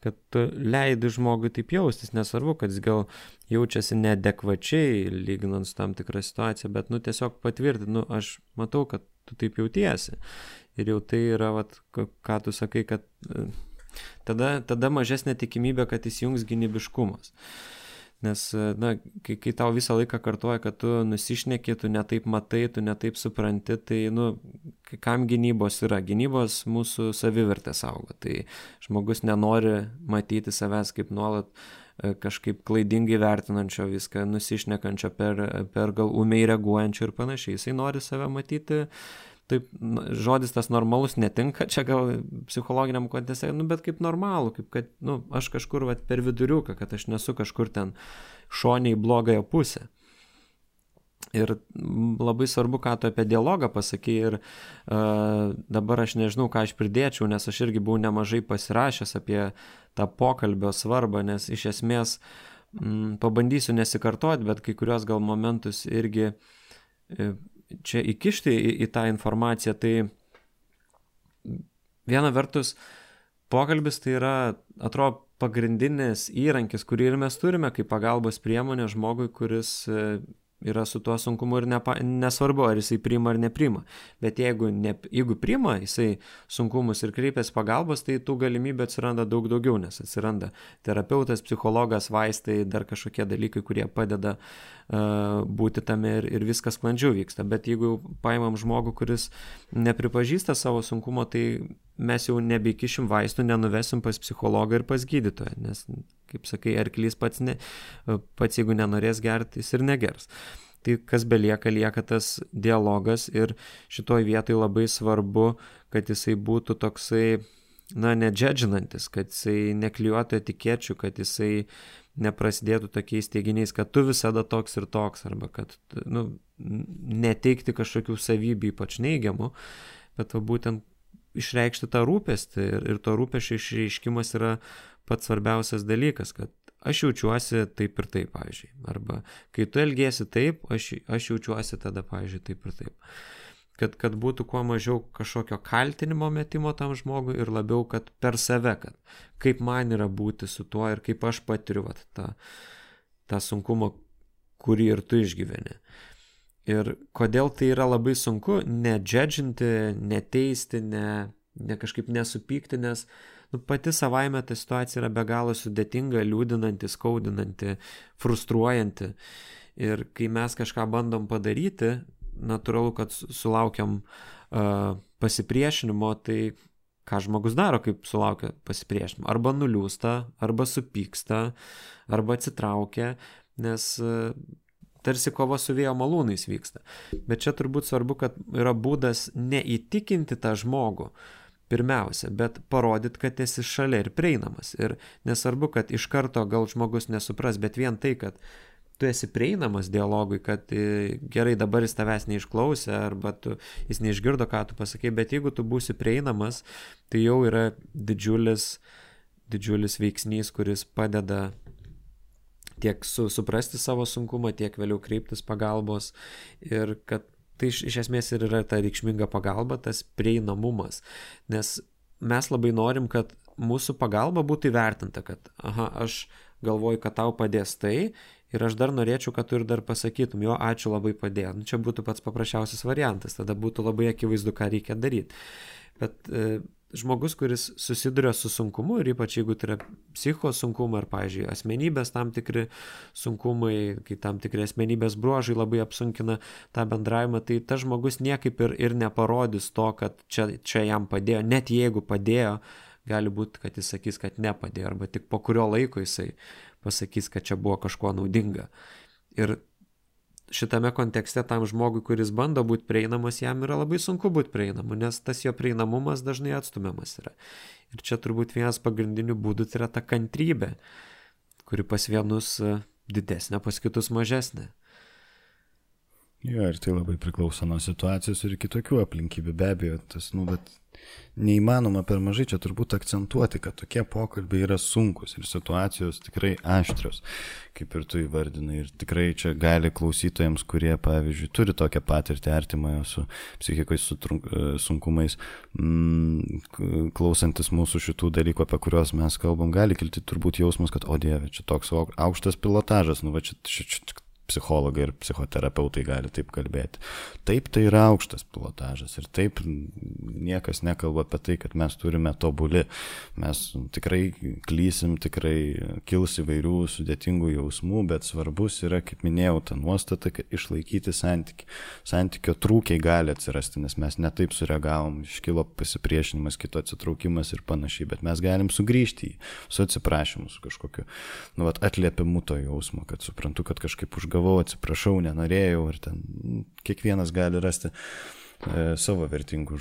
S1: kad tu leidi žmogui taip jaustis, nesvarbu, kad jis gal jaučiasi neadekvačiai, lyginant su tam tikrą situaciją, bet, nu, tiesiog patvirtinti, nu, aš matau, kad tu taip jautiesi. Ir jau tai yra, vat, ką tu sakai, kad tada, tada mažesnė tikimybė, kad įsijungs gynybiškumas. Nes, na, kai, kai tau visą laiką kartuoja, kad tu nusišneki, tu netaip matai, tu netaip supranti, tai, nu, kam gynybos yra? Gynybos mūsų savivertę saugo. Tai žmogus nenori matyti savęs kaip nuolat kažkaip klaidingai vertinančio viską, nusišnekančio per, per gal ūmiai reaguojančio ir panašiai. Jisai nori save matyti. Taip, žodis tas normalus netinka, čia gal psichologiniam konteste, nu, bet kaip normalų, kaip kad, nu, aš kažkur vat, per viduriuką, kad aš nesu kažkur ten šoniai blogąją pusę. Ir labai svarbu, ką tu apie dialogą pasakai ir uh, dabar aš nežinau, ką aš pridėčiau, nes aš irgi buvau nemažai pasirašęs apie tą pokalbio svarbą, nes iš esmės m, pabandysiu nesikartoti, bet kai kurios gal momentus irgi e, čia įkišti į, į tą informaciją, tai viena vertus pokalbis tai yra, atrodo, pagrindinis įrankis, kurį ir mes turime kaip pagalbos priemonė žmogui, kuris yra su tuo sunkumu ir nepa, nesvarbu, ar jisai priima ar nepriima. Bet jeigu, ne, jeigu priima jisai sunkumus ir kreipiasi pagalbos, tai tų galimybių atsiranda daug daugiau, nes atsiranda terapeutas, psichologas, vaistai, dar kažkokie dalykai, kurie padeda uh, būti tame ir, ir viskas sklandžiau vyksta. Bet jeigu paimam žmogų, kuris nepripažįsta savo sunkumo, tai mes jau nebeikišim vaistų, nenuvesim pas psichologą ir pas gydytoją, nes, kaip sakai, arklys pats, ne, pats jeigu nenorės gerti, jis ir negers. Tai kas belieka, lieka tas dialogas ir šitoj vietoj labai svarbu, kad jisai būtų toksai na, nedžedžinantis, kad jisai neklijuotų etikečių, kad jisai neprasidėtų tokiais teiginiais, kad tu visada toks ir toks, arba kad, nu, neteikti kažkokių savybių ypač neigiamų, bet va, būtent išreikšti tą rūpestį ir, ir to rūpesčio išreiškimas yra pats svarbiausias dalykas, kad aš jaučiuosi taip ir taip, pavyzdžiui. Arba kai tu elgiesi taip, aš, aš jaučiuosi tada, pavyzdžiui, taip ir taip. Kad, kad būtų kuo mažiau kažkokio kaltinimo metimo tam žmogui ir labiau, kad per save, kad kaip man yra būti su tuo ir kaip aš patiriu vat, tą, tą sunkumą, kurį ir tu išgyveni. Ir kodėl tai yra labai sunku, nedžedžinti, neteisti, ne, ne kažkaip nesupykti, nes nu, pati savaime ta situacija yra be galo sudėtinga, liūdinanti, skaudinanti, frustruojanti. Ir kai mes kažką bandom padaryti, natūralu, kad sulaukiam uh, pasipriešinimo, tai ką žmogus daro, kaip sulaukia pasipriešinimo? Arba nuliūsta, arba supyksta, arba atsitraukia, nes uh, tarsi kova su vėjo malūnais vyksta. Bet čia turbūt svarbu, kad yra būdas neįtikinti tą žmogų, pirmiausia, bet parodyt, kad esi šalia ir prieinamas. Ir nesvarbu, kad iš karto gal žmogus nesupras, bet vien tai, kad tu esi prieinamas dialogui, kad gerai dabar jis tavęs neišklausė, arba tu, jis neišgirdo, ką tu pasakei, bet jeigu tu būsi prieinamas, tai jau yra didžiulis, didžiulis veiksnys, kuris padeda tiek su, suprasti savo sunkumą, tiek vėliau kreiptis pagalbos ir kad tai iš, iš esmės ir yra ta reikšminga pagalba, tas prieinamumas, nes mes labai norim, kad mūsų pagalba būtų įvertinta, kad aha, aš galvoju, kad tau padės tai ir aš dar norėčiau, kad tu ir dar pasakytum, jo, ačiū labai padėjo. Nu, čia būtų pats paprasčiausias variantas, tada būtų labai akivaizdu, ką reikia daryti. Bet e, žmogus, kuris susiduria su sunkumu ir ypač jeigu tai yra psicho sunkumai ar, pavyzdžiui, asmenybės tam tikri sunkumai, kai tam tikri asmenybės bruožai labai apsunkina tą bendravimą, tai tas žmogus niekaip ir, ir neparodys to, kad čia, čia jam padėjo, net jeigu padėjo, gali būti, kad jis sakys, kad nepadėjo, arba tik po kurio laiko jisai pasakys, kad čia buvo kažkuo naudinga. Ir šitame kontekste tam žmogui, kuris bando būti prieinamas, jam yra labai sunku būti prieinamu, nes tas jo prieinamumas dažnai atstumiamas yra. Ir čia turbūt vienas pagrindinių būdų tai yra ta kantrybė, kuri pas vienus didesnė, pas kitus mažesnė.
S2: Jo, ir tai labai priklauso nuo situacijos ir kitokių aplinkybių, be abejo, tas, nu, bet neįmanoma per mažai čia turbūt akcentuoti, kad tokie pokalbiai yra sunkus ir situacijos tikrai aštrios, kaip ir tu įvardinai, ir tikrai čia gali klausytojams, kurie, pavyzdžiui, turi tokią patirtį artimojo su psichikos sunkumais, mm, klausantis mūsų šitų dalykų, apie kuriuos mes kalbam, gali kilti turbūt jausmas, kad, o Dieve, čia toks aukštas pilotažas, nu va čia, čia, čia psichologai ir psichoterapeutai gali taip kalbėti. Taip, tai yra aukštas pilotažas ir taip niekas nekalba apie tai, kad mes turime tobuli. Mes tikrai klysim, tikrai kils įvairių sudėtingų jausmų, bet svarbus yra, kaip minėjau, ta nuostata, kad išlaikyti santykį. Santykio trūkiai gali atsirasti, nes mes netaip sureagavom, iškilo pasipriešinimas, kito atsitraukimas ir panašiai, bet mes galim sugrįžti į su atsiprašymu, su kažkokiu, nu, vat, atliepimu to jausmo, kad suprantu, kad kažkaip užgavau, atsiprašau, nenorėjau ir ten kiekvienas gali rasti e, savo vertingų,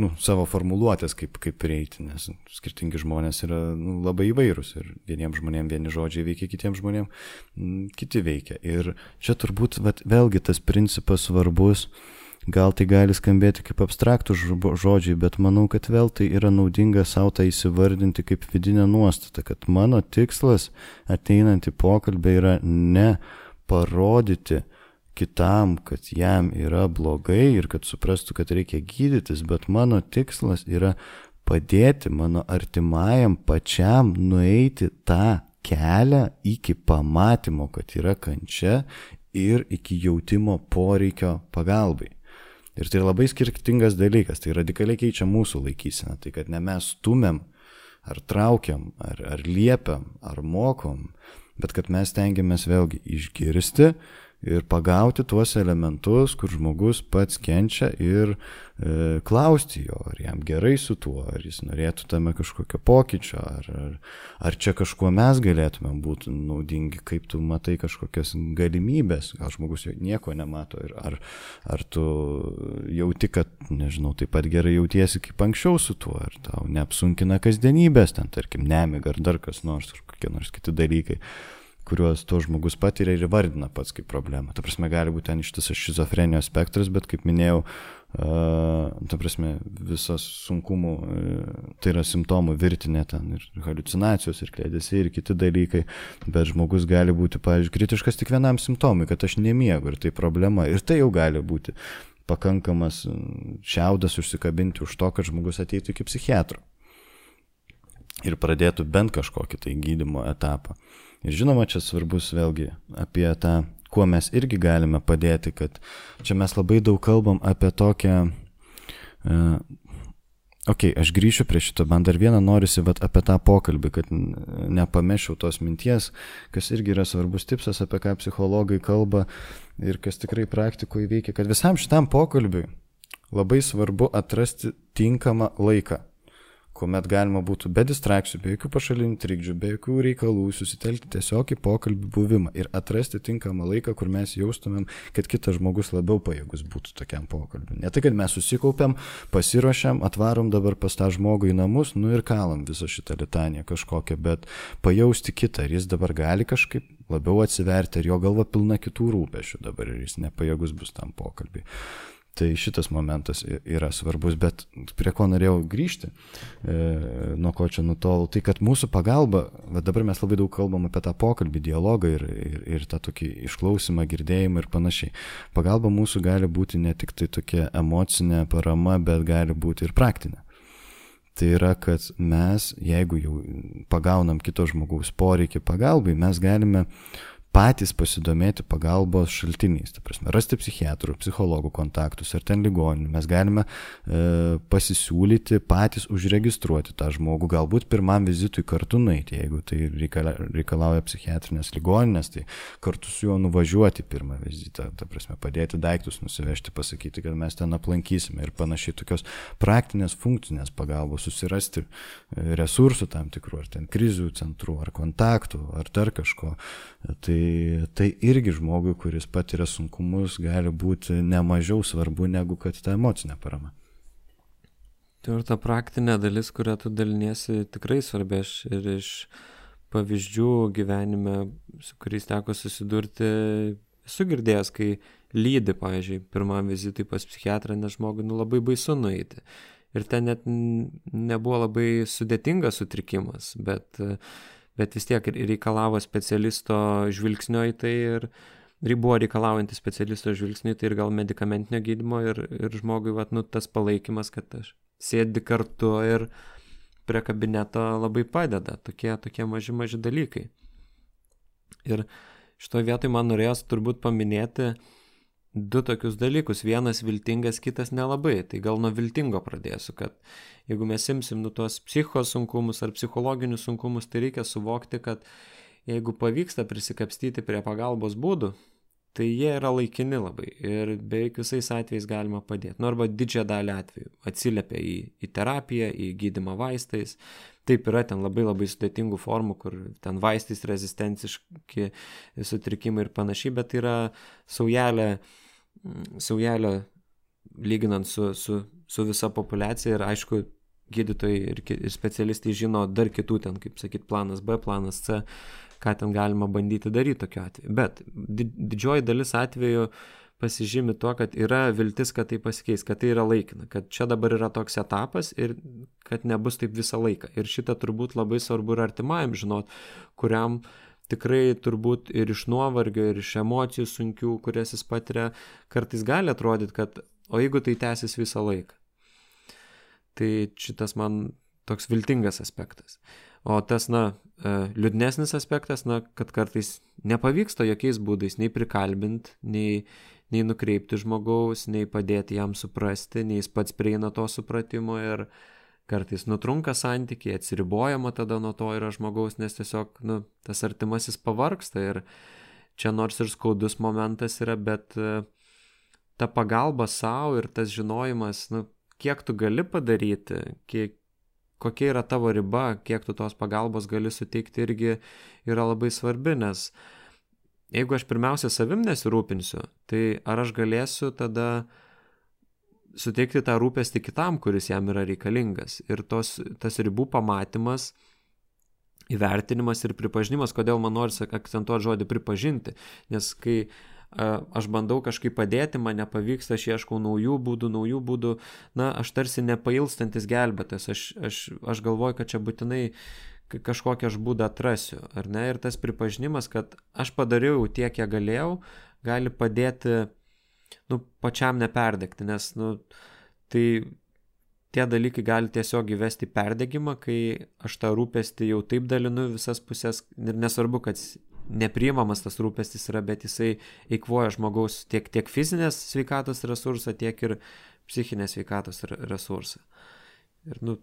S2: nu, savo formuluotės, kaip, kaip prieiti, nes skirtingi žmonės yra nu, labai įvairūs ir vieniems žmonėms vieni žodžiai veikia, kitiems žmonėms m, kiti veikia. Ir čia turbūt vat, vėlgi tas principas svarbus, gal tai gali skambėti kaip abstraktų žodžiai, bet manau, kad vėl tai yra naudinga savo tai įsivardinti kaip vidinę nuostatą, kad mano tikslas ateinant į pokalbį yra ne parodyti kitam, kad jam yra blogai ir kad suprastų, kad reikia gydytis, bet mano tikslas yra padėti mano artimajam pačiam nueiti tą kelią iki pamatymo, kad yra kančia ir iki jautimo poreikio pagalbai. Ir tai labai skirtingas dalykas, tai radikaliai keičia mūsų laikyseną, tai kad ne mes stumiam, ar traukiam, ar, ar liepiam, ar mokom, bet kad mes tengiamės vėlgi išgirsti ir pagauti tuos elementus, kur žmogus pats kenčia ir e, klausti jo, ar jam gerai su tuo, ar jis norėtų tame kažkokio pokyčio, ar, ar, ar čia kažkuo mes galėtume būti naudingi, kaip tu matai kažkokias galimybės, gal žmogus nieko nemato, ir ar, ar tu jauti, kad, nežinau, taip pat gerai jautiesi kaip anksčiau su tuo, ar tau neapsunkina kasdienybės, ten tarkim nemiga ar dar kas nors, ar kokie nors kiti dalykai, kuriuos to žmogus patiria ir įvardina pats kaip problemą. Ta prasme, gali būti ten ištisas šizofrenijos spektras, bet kaip minėjau, uh, ta prasme, visas sunkumų, uh, tai yra simptomų virtinė ten ir haliucinacijos, ir kliedesiai, ir kiti dalykai, bet žmogus gali būti, pavyzdžiui, kritiškas tik vienam simptomui, kad aš nemiegu ir tai problema, ir tai jau gali būti pakankamas šiaudas užsikabinti už to, kad žmogus ateitų iki psichiatro ir pradėtų bent kažkokį tai gydymo etapą. Ir žinoma, čia svarbus vėlgi apie tą, kuo mes irgi galime padėti, kad čia mes labai daug kalbam apie tokią, uh, okei, okay, aš grįšiu prie šito, man dar vieną norisi vat, apie tą pokalbį, kad nepamešiau tos minties, kas irgi yra svarbus tipsas, apie ką psichologai kalba ir kas tikrai praktikoje veikia, kad visam šitam pokalbiui labai svarbu atrasti tinkamą laiką, kuomet galima būtų be distrakcijų, be jokių pašalinių trikdžių, be jokių reikalų susitelkti tiesiog į pokalbį buvimą ir atrasti tinkamą laiką, kur mes jaustumėm, kad kitas žmogus labiau pajėgus būtų tokiam pokalbiui. Ne tai, kad mes susikaupiam, pasiruošiam, atvarom dabar pas tą žmogų į namus, nu ir kalam visą šitą litaniją kažkokią, bet pajausti kitą, ar jis dabar gali kažkaip labiau atsiverti, ar jo galva pilna kitų rūpešių dabar ir jis nepajėgus bus tam pokalbiui. Tai šitas momentas yra svarbus, bet prie ko norėjau grįžti, e, nuo ko čia nutolau, tai kad mūsų pagalba, va dabar mes labai daug kalbam apie tą pokalbį, dialogą ir, ir, ir tą tokį išklausimą, girdėjimą ir panašiai. Pagalba mūsų gali būti ne tik tai tokia emocinė parama, bet gali būti ir praktinė. Tai yra, kad mes, jeigu jau pagaunam kito žmogaus poreikį pagalbai, mes galime patys pasidomėti pagalbos šaltiniais, ta prasme, rasti psichiatrų, psichologų kontaktus ar ten ligoninių. Mes galime e, pasisiūlyti, patys užregistruoti tą žmogų, galbūt pirmam vizitui kartu nueiti, jeigu tai reikala, reikalauja psichiatrinės ligoninės, tai kartu su juo nuvažiuoti pirmą vizitą, ta prasme, padėti daiktus nusivežti, pasakyti, kad mes ten aplankysime ir panašiai, tokios praktinės, funkcinės pagalbos, susirasti resursų tam tikrų, ar ten krizių centrų, ar kontaktų, ar dar kažko. Tai tai irgi žmogui, kuris patiria sunkumus, gali būti nemažiau svarbu negu kad ta emocinė parama.
S1: Tai ir ta praktinė dalis, kurią tu daliniesi, tikrai svarbi. Aš ir iš pavyzdžių gyvenime, su kuriais teko susidurti, esu girdėjęs, kai lydi, pavyzdžiui, pirmam vizitui pas psichiatrą, nes žmogui nu, labai baisu nueiti. Ir ten net nebuvo labai sudėtingas sutrikimas, bet bet vis tiek reikalavo specialisto žvilgsnio į tai ir buvo reikalaujantis specialisto žvilgsnio į tai ir gal medikamentinio gydymo ir, ir žmogui vat, nu, tas palaikymas, kad aš sėdi kartu ir prie kabineto labai padeda, tokie, tokie maži, maži dalykai. Ir šitoje vietoje man norėjos turbūt paminėti du tokius dalykus, vienas viltingas, kitas nelabai. Tai gal nuo viltingo pradėsiu, kad jeigu mes imsim nu tuos psichos sunkumus ar psichologinius sunkumus, tai reikia suvokti, kad jeigu pavyksta prisikapstyti prie pagalbos būdų, tai jie yra laikini labai ir beveik visais atvejais galima padėti. Nu arba didžiąją dalį atvejų atsiliepia į, į terapiją, į gydymą vaistais. Taip yra ten labai labai sudėtingų formų, kur ten vaistais rezistenciški sutrikimai ir panašiai, bet yra saujelė, saujelė lyginant su, su, su visa populiacija ir aišku, gydytojai ir, ir specialistai žino dar kitų ten, kaip sakyt, planas B, planas C, ką ten galima bandyti daryti tokiu atveju. Bet didžioji dalis atveju pasižymi tuo, kad yra viltis, kad tai pasikeis, kad tai yra laikina, kad čia dabar yra toks etapas ir kad nebus taip visą laiką. Ir šitą turbūt labai svarbu ir artimajam žinot, kuriam tikrai turbūt ir iš nuovargio, ir iš emocijų sunkių, kurias jis patiria, kartais gali atrodyti, kad o jeigu tai tęsis visą laiką. Tai šitas man toks viltingas aspektas. O tas, na, liūdnesnis aspektas, na, kad kartais nepavyksta jokiais būdais nei prikalbinti, nei, nei nukreipti žmogaus, nei padėti jam suprasti, nei jis pats prieina to supratimo ir kartais nutrunka santykiai, atsiribojama tada nuo to yra žmogaus, nes tiesiog, nu, tas artimasis pavargsta ir čia nors ir skaudus momentas yra, bet ta pagalba savo ir tas žinojimas, nu, kiek tu gali padaryti, kiek, kokia yra tavo riba, kiek tu tos pagalbos gali suteikti, irgi yra labai svarbi, nes jeigu aš pirmiausia savim nesirūpinsiu, tai ar aš galėsiu tada suteikti tą rūpestį kitam, kuris jam yra reikalingas. Ir tos, tas ribų pamatymas, įvertinimas ir pripažinimas, kodėl man norisi akcentuoti žodį pripažinti, nes kai aš bandau kažkaip padėti, man nepavyksta, aš ieškau naujų būdų, naujų būdų, na, aš tarsi nepailstantis gelbėtas, aš, aš, aš galvoju, kad čia būtinai kažkokią aš būdą atrasiu, ar ne, ir tas pripažinimas, kad aš padariau tiek, kiek galėjau, gali padėti, nu, pačiam neperdegti, nes, nu, tai tie dalykai gali tiesiog įvesti perdegimą, kai aš tą rūpestį jau taip dalinu visas pusės, ir nesvarbu, kad nepriimamas tas rūpestis yra, bet jisai eikvoja žmogaus tiek, tiek fizinės sveikatos resursą, tiek ir psichinės sveikatos resursą. Ir, nu,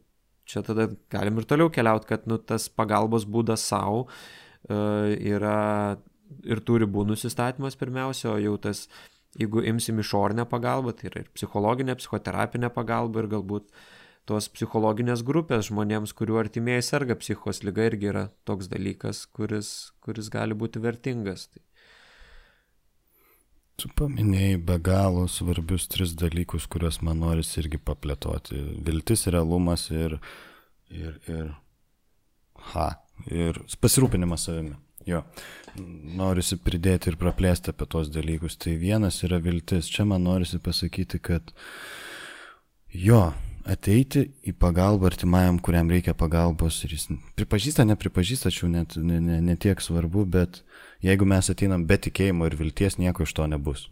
S1: čia tada galim ir toliau keliauti, kad, nu, tas pagalbos būdas savo uh, yra ir tų ribų nusistatymas pirmiausia, o jau tas, jeigu imsim išorinę pagalbą, tai yra ir psichologinė, psichoterapinė pagalba ir galbūt tos psichologinės grupės žmonėms, kurių artimieji serga psichikos liga, irgi yra toks dalykas, kuris, kuris gali būti vertingas.
S2: Tu paminėjai be galo svarbius tris dalykus, kuriuos man norisi irgi paplėtoti. Viltis, realumas ir, ir, ir, ha, ir pasirūpinimas savimi. Jo, norisi pridėti ir praplėsti apie tos dalykus. Tai vienas yra viltis. Čia man norisi pasakyti, kad jo, ateiti į pagalbą artimajam, kuriam reikia pagalbos, ir jis pripažįsta, nepripažįsta, čia net ne, ne, ne tiek svarbu, bet jeigu mes ateinam be tikėjimo ir vilties, nieko iš to nebus.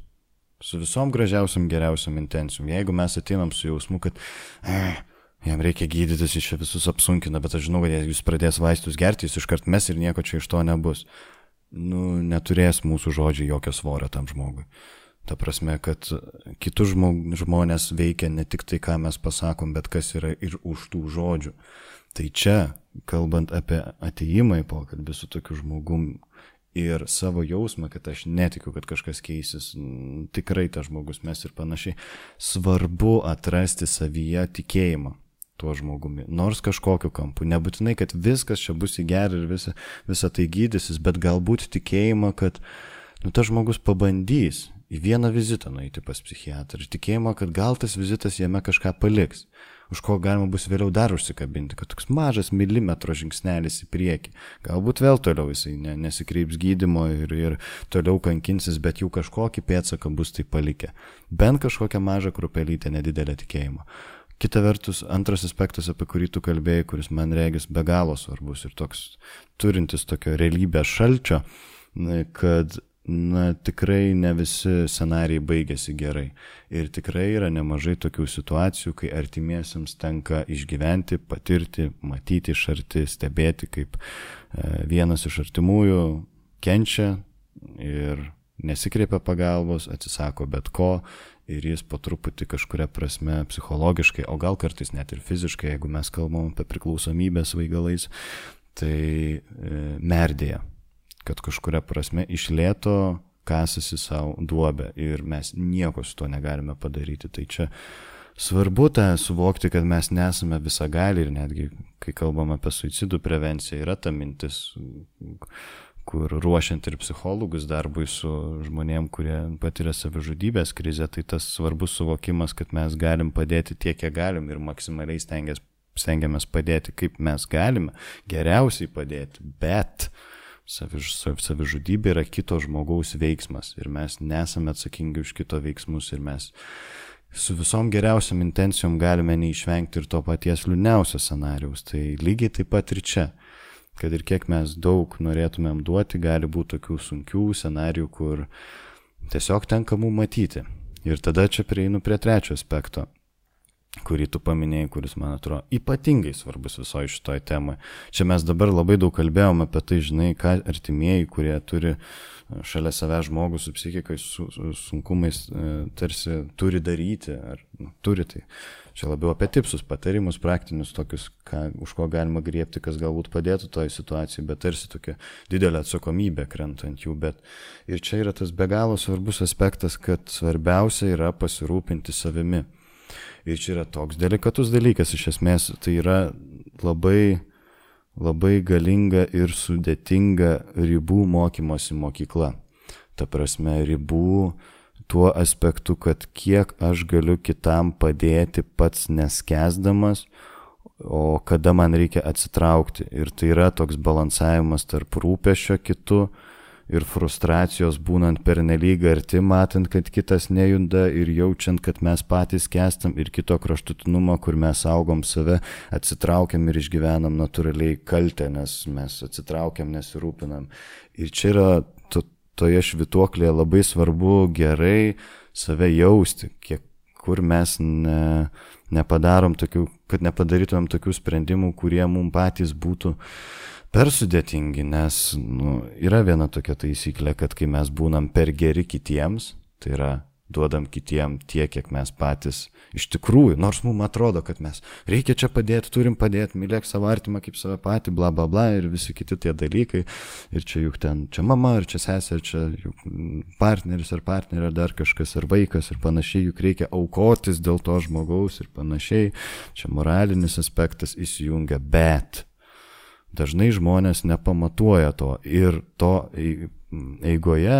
S2: Su visom gražiausiam, geriausiam intencijom. Jeigu mes ateinam su jausmu, kad eh, jam reikia gydytis, jis čia visus apsunkina, bet aš žinau, kad jis pradės vaistus gerti, jis iškart mes ir nieko čia iš to nebus. Nu, neturės mūsų žodžiai jokio svorio tam žmogui. Ta prasme, kad kitus žmonės veikia ne tik tai, ką mes pasakom, bet kas yra ir už tų žodžių. Tai čia, kalbant apie atėjimą į pokalbį su tokiu žmogum ir savo jausmą, kad aš netikiu, kad kažkas keisis, tikrai tas žmogus mes ir panašiai, svarbu atrasti savyje tikėjimą tuo žmogumi, nors kažkokiu kampu. Nebūtinai, kad viskas čia bus į gerą ir visa, visa tai gydysis, bet galbūt tikėjimą, kad nu, tas žmogus pabandys į vieną vizitą nueiti pas psichiatrą ir tikėjimą, kad gal tas vizitas jame kažką paliks, už ko galima bus vėliau dar užsikabinti, kad toks mažas milimetro žingsnelis į priekį. Galbūt vėl toliau jisai ne, nesikreips gydymo ir, ir toliau kankinsis, bet jau kažkokį pėdsaką bus tai palikę. Bent kažkokią mažą krupelytę nedidelę tikėjimą. Kita vertus, antras aspektas, apie kurį tu kalbėjai, kuris man regis be galo svarbus ir toks turintis tokio realybės šalčio, kad na, tikrai ne visi scenarijai baigėsi gerai. Ir tikrai yra nemažai tokių situacijų, kai artimiesiems tenka išgyventi, patirti, matyti iš arti, stebėti, kaip vienas iš artimųjų kenčia ir nesikreipia pagalbos, atsisako bet ko ir jis po truputį kažkuria prasme psichologiškai, o gal kartais net ir fiziškai, jeigu mes kalbam apie priklausomybę svaigalais, tai e, merdėja, kad kažkuria prasme iš lėto kasasi savo duobę ir mes nieko su to negalime padaryti. Tai čia svarbu tą suvokti, kad mes nesame visagali ir netgi, kai kalbam apie suicidų prevenciją, yra ta mintis, kur ruošiant ir psichologus darbui su žmonėm, kurie patiria savižudybės krizę, tai tas svarbus suvokimas, kad mes galim padėti tiek, kiek galim ir maksimaliai stengiamės, stengiamės padėti, kaip mes galime, geriausiai padėti, bet Saviž, savižudybė yra kito žmogaus veiksmas ir mes nesame atsakingi už kito veiksmus ir mes su visom geriausiam intencijom galime neišvengti ir to paties liūdniausio scenarijaus. Tai lygiai taip pat ir čia, kad ir kiek mes daug norėtumėm duoti, gali būti tokių sunkių scenarijų, kur tiesiog tenka mum matyti. Ir tada čia prieinu prie trečio aspekto, kurį tu paminėjai, kuris, man atrodo, ypatingai svarbus visoje šitoje temoje. Čia mes dabar labai daug kalbėjome apie tai, žinai, ką artimieji, kurie turi šalia savęs žmogų su psichikais, su, su sunkumais, tarsi turi daryti, ar nu, turi tai. Čia labiau apie tipsus, patarimus, praktinius, tokius, ką, už ko galima griebti, kas galbūt padėtų toje situacijoje, bet tarsi tokia didelė atsakomybė krenta ant jų. Bet ir čia yra tas be galo svarbus aspektas, kad svarbiausia yra pasirūpinti savimi. Ir čia yra toks delikatus dalykas, iš esmės tai yra labai, labai galinga ir sudėtinga ribų mokymosi mokykla. Ta prasme, ribų tuo aspektu, kad kiek aš galiu kitam padėti pats neskęsdamas, o kada man reikia atsitraukti. Ir tai yra toks balansavimas tarp rūpesčio kitu ir frustracijos būnant pernelyg arti, matant, kad kitas nejuda ir jaučiant, kad mes patys kestam, ir kito kraštutinumo, kur mes saugom save, atsitraukiam ir išgyvenam natūraliai kaltę, nes mes atsitraukiam, nesirūpinam. Ir čia yra to, toje švytuoklėje labai svarbu gerai save jausti, kiek, kur mes ne, nepadarom tokių, kad nepadarytumėm tokių sprendimų, kurie mums patys būtų per sudėtingi, nes nu, yra viena tokia taisyklė, kad kai mes būnam per geri kitiems, tai yra duodam kitiem tiek, kiek mes patys iš tikrųjų, nors mums atrodo, kad mes reikia čia padėti, turim padėti, mylėk savo artimą kaip save patį, bla bla bla ir visi kiti tie dalykai, ir čia juk ten, čia mama, ir čia sesė, ir čia juk partneris ar partnerė, ar dar kažkas, ar vaikas ir panašiai, juk reikia aukotis dėl to žmogaus ir panašiai, čia moralinis aspektas įsijungia, bet dažnai žmonės nepamatuoja to ir to eigoje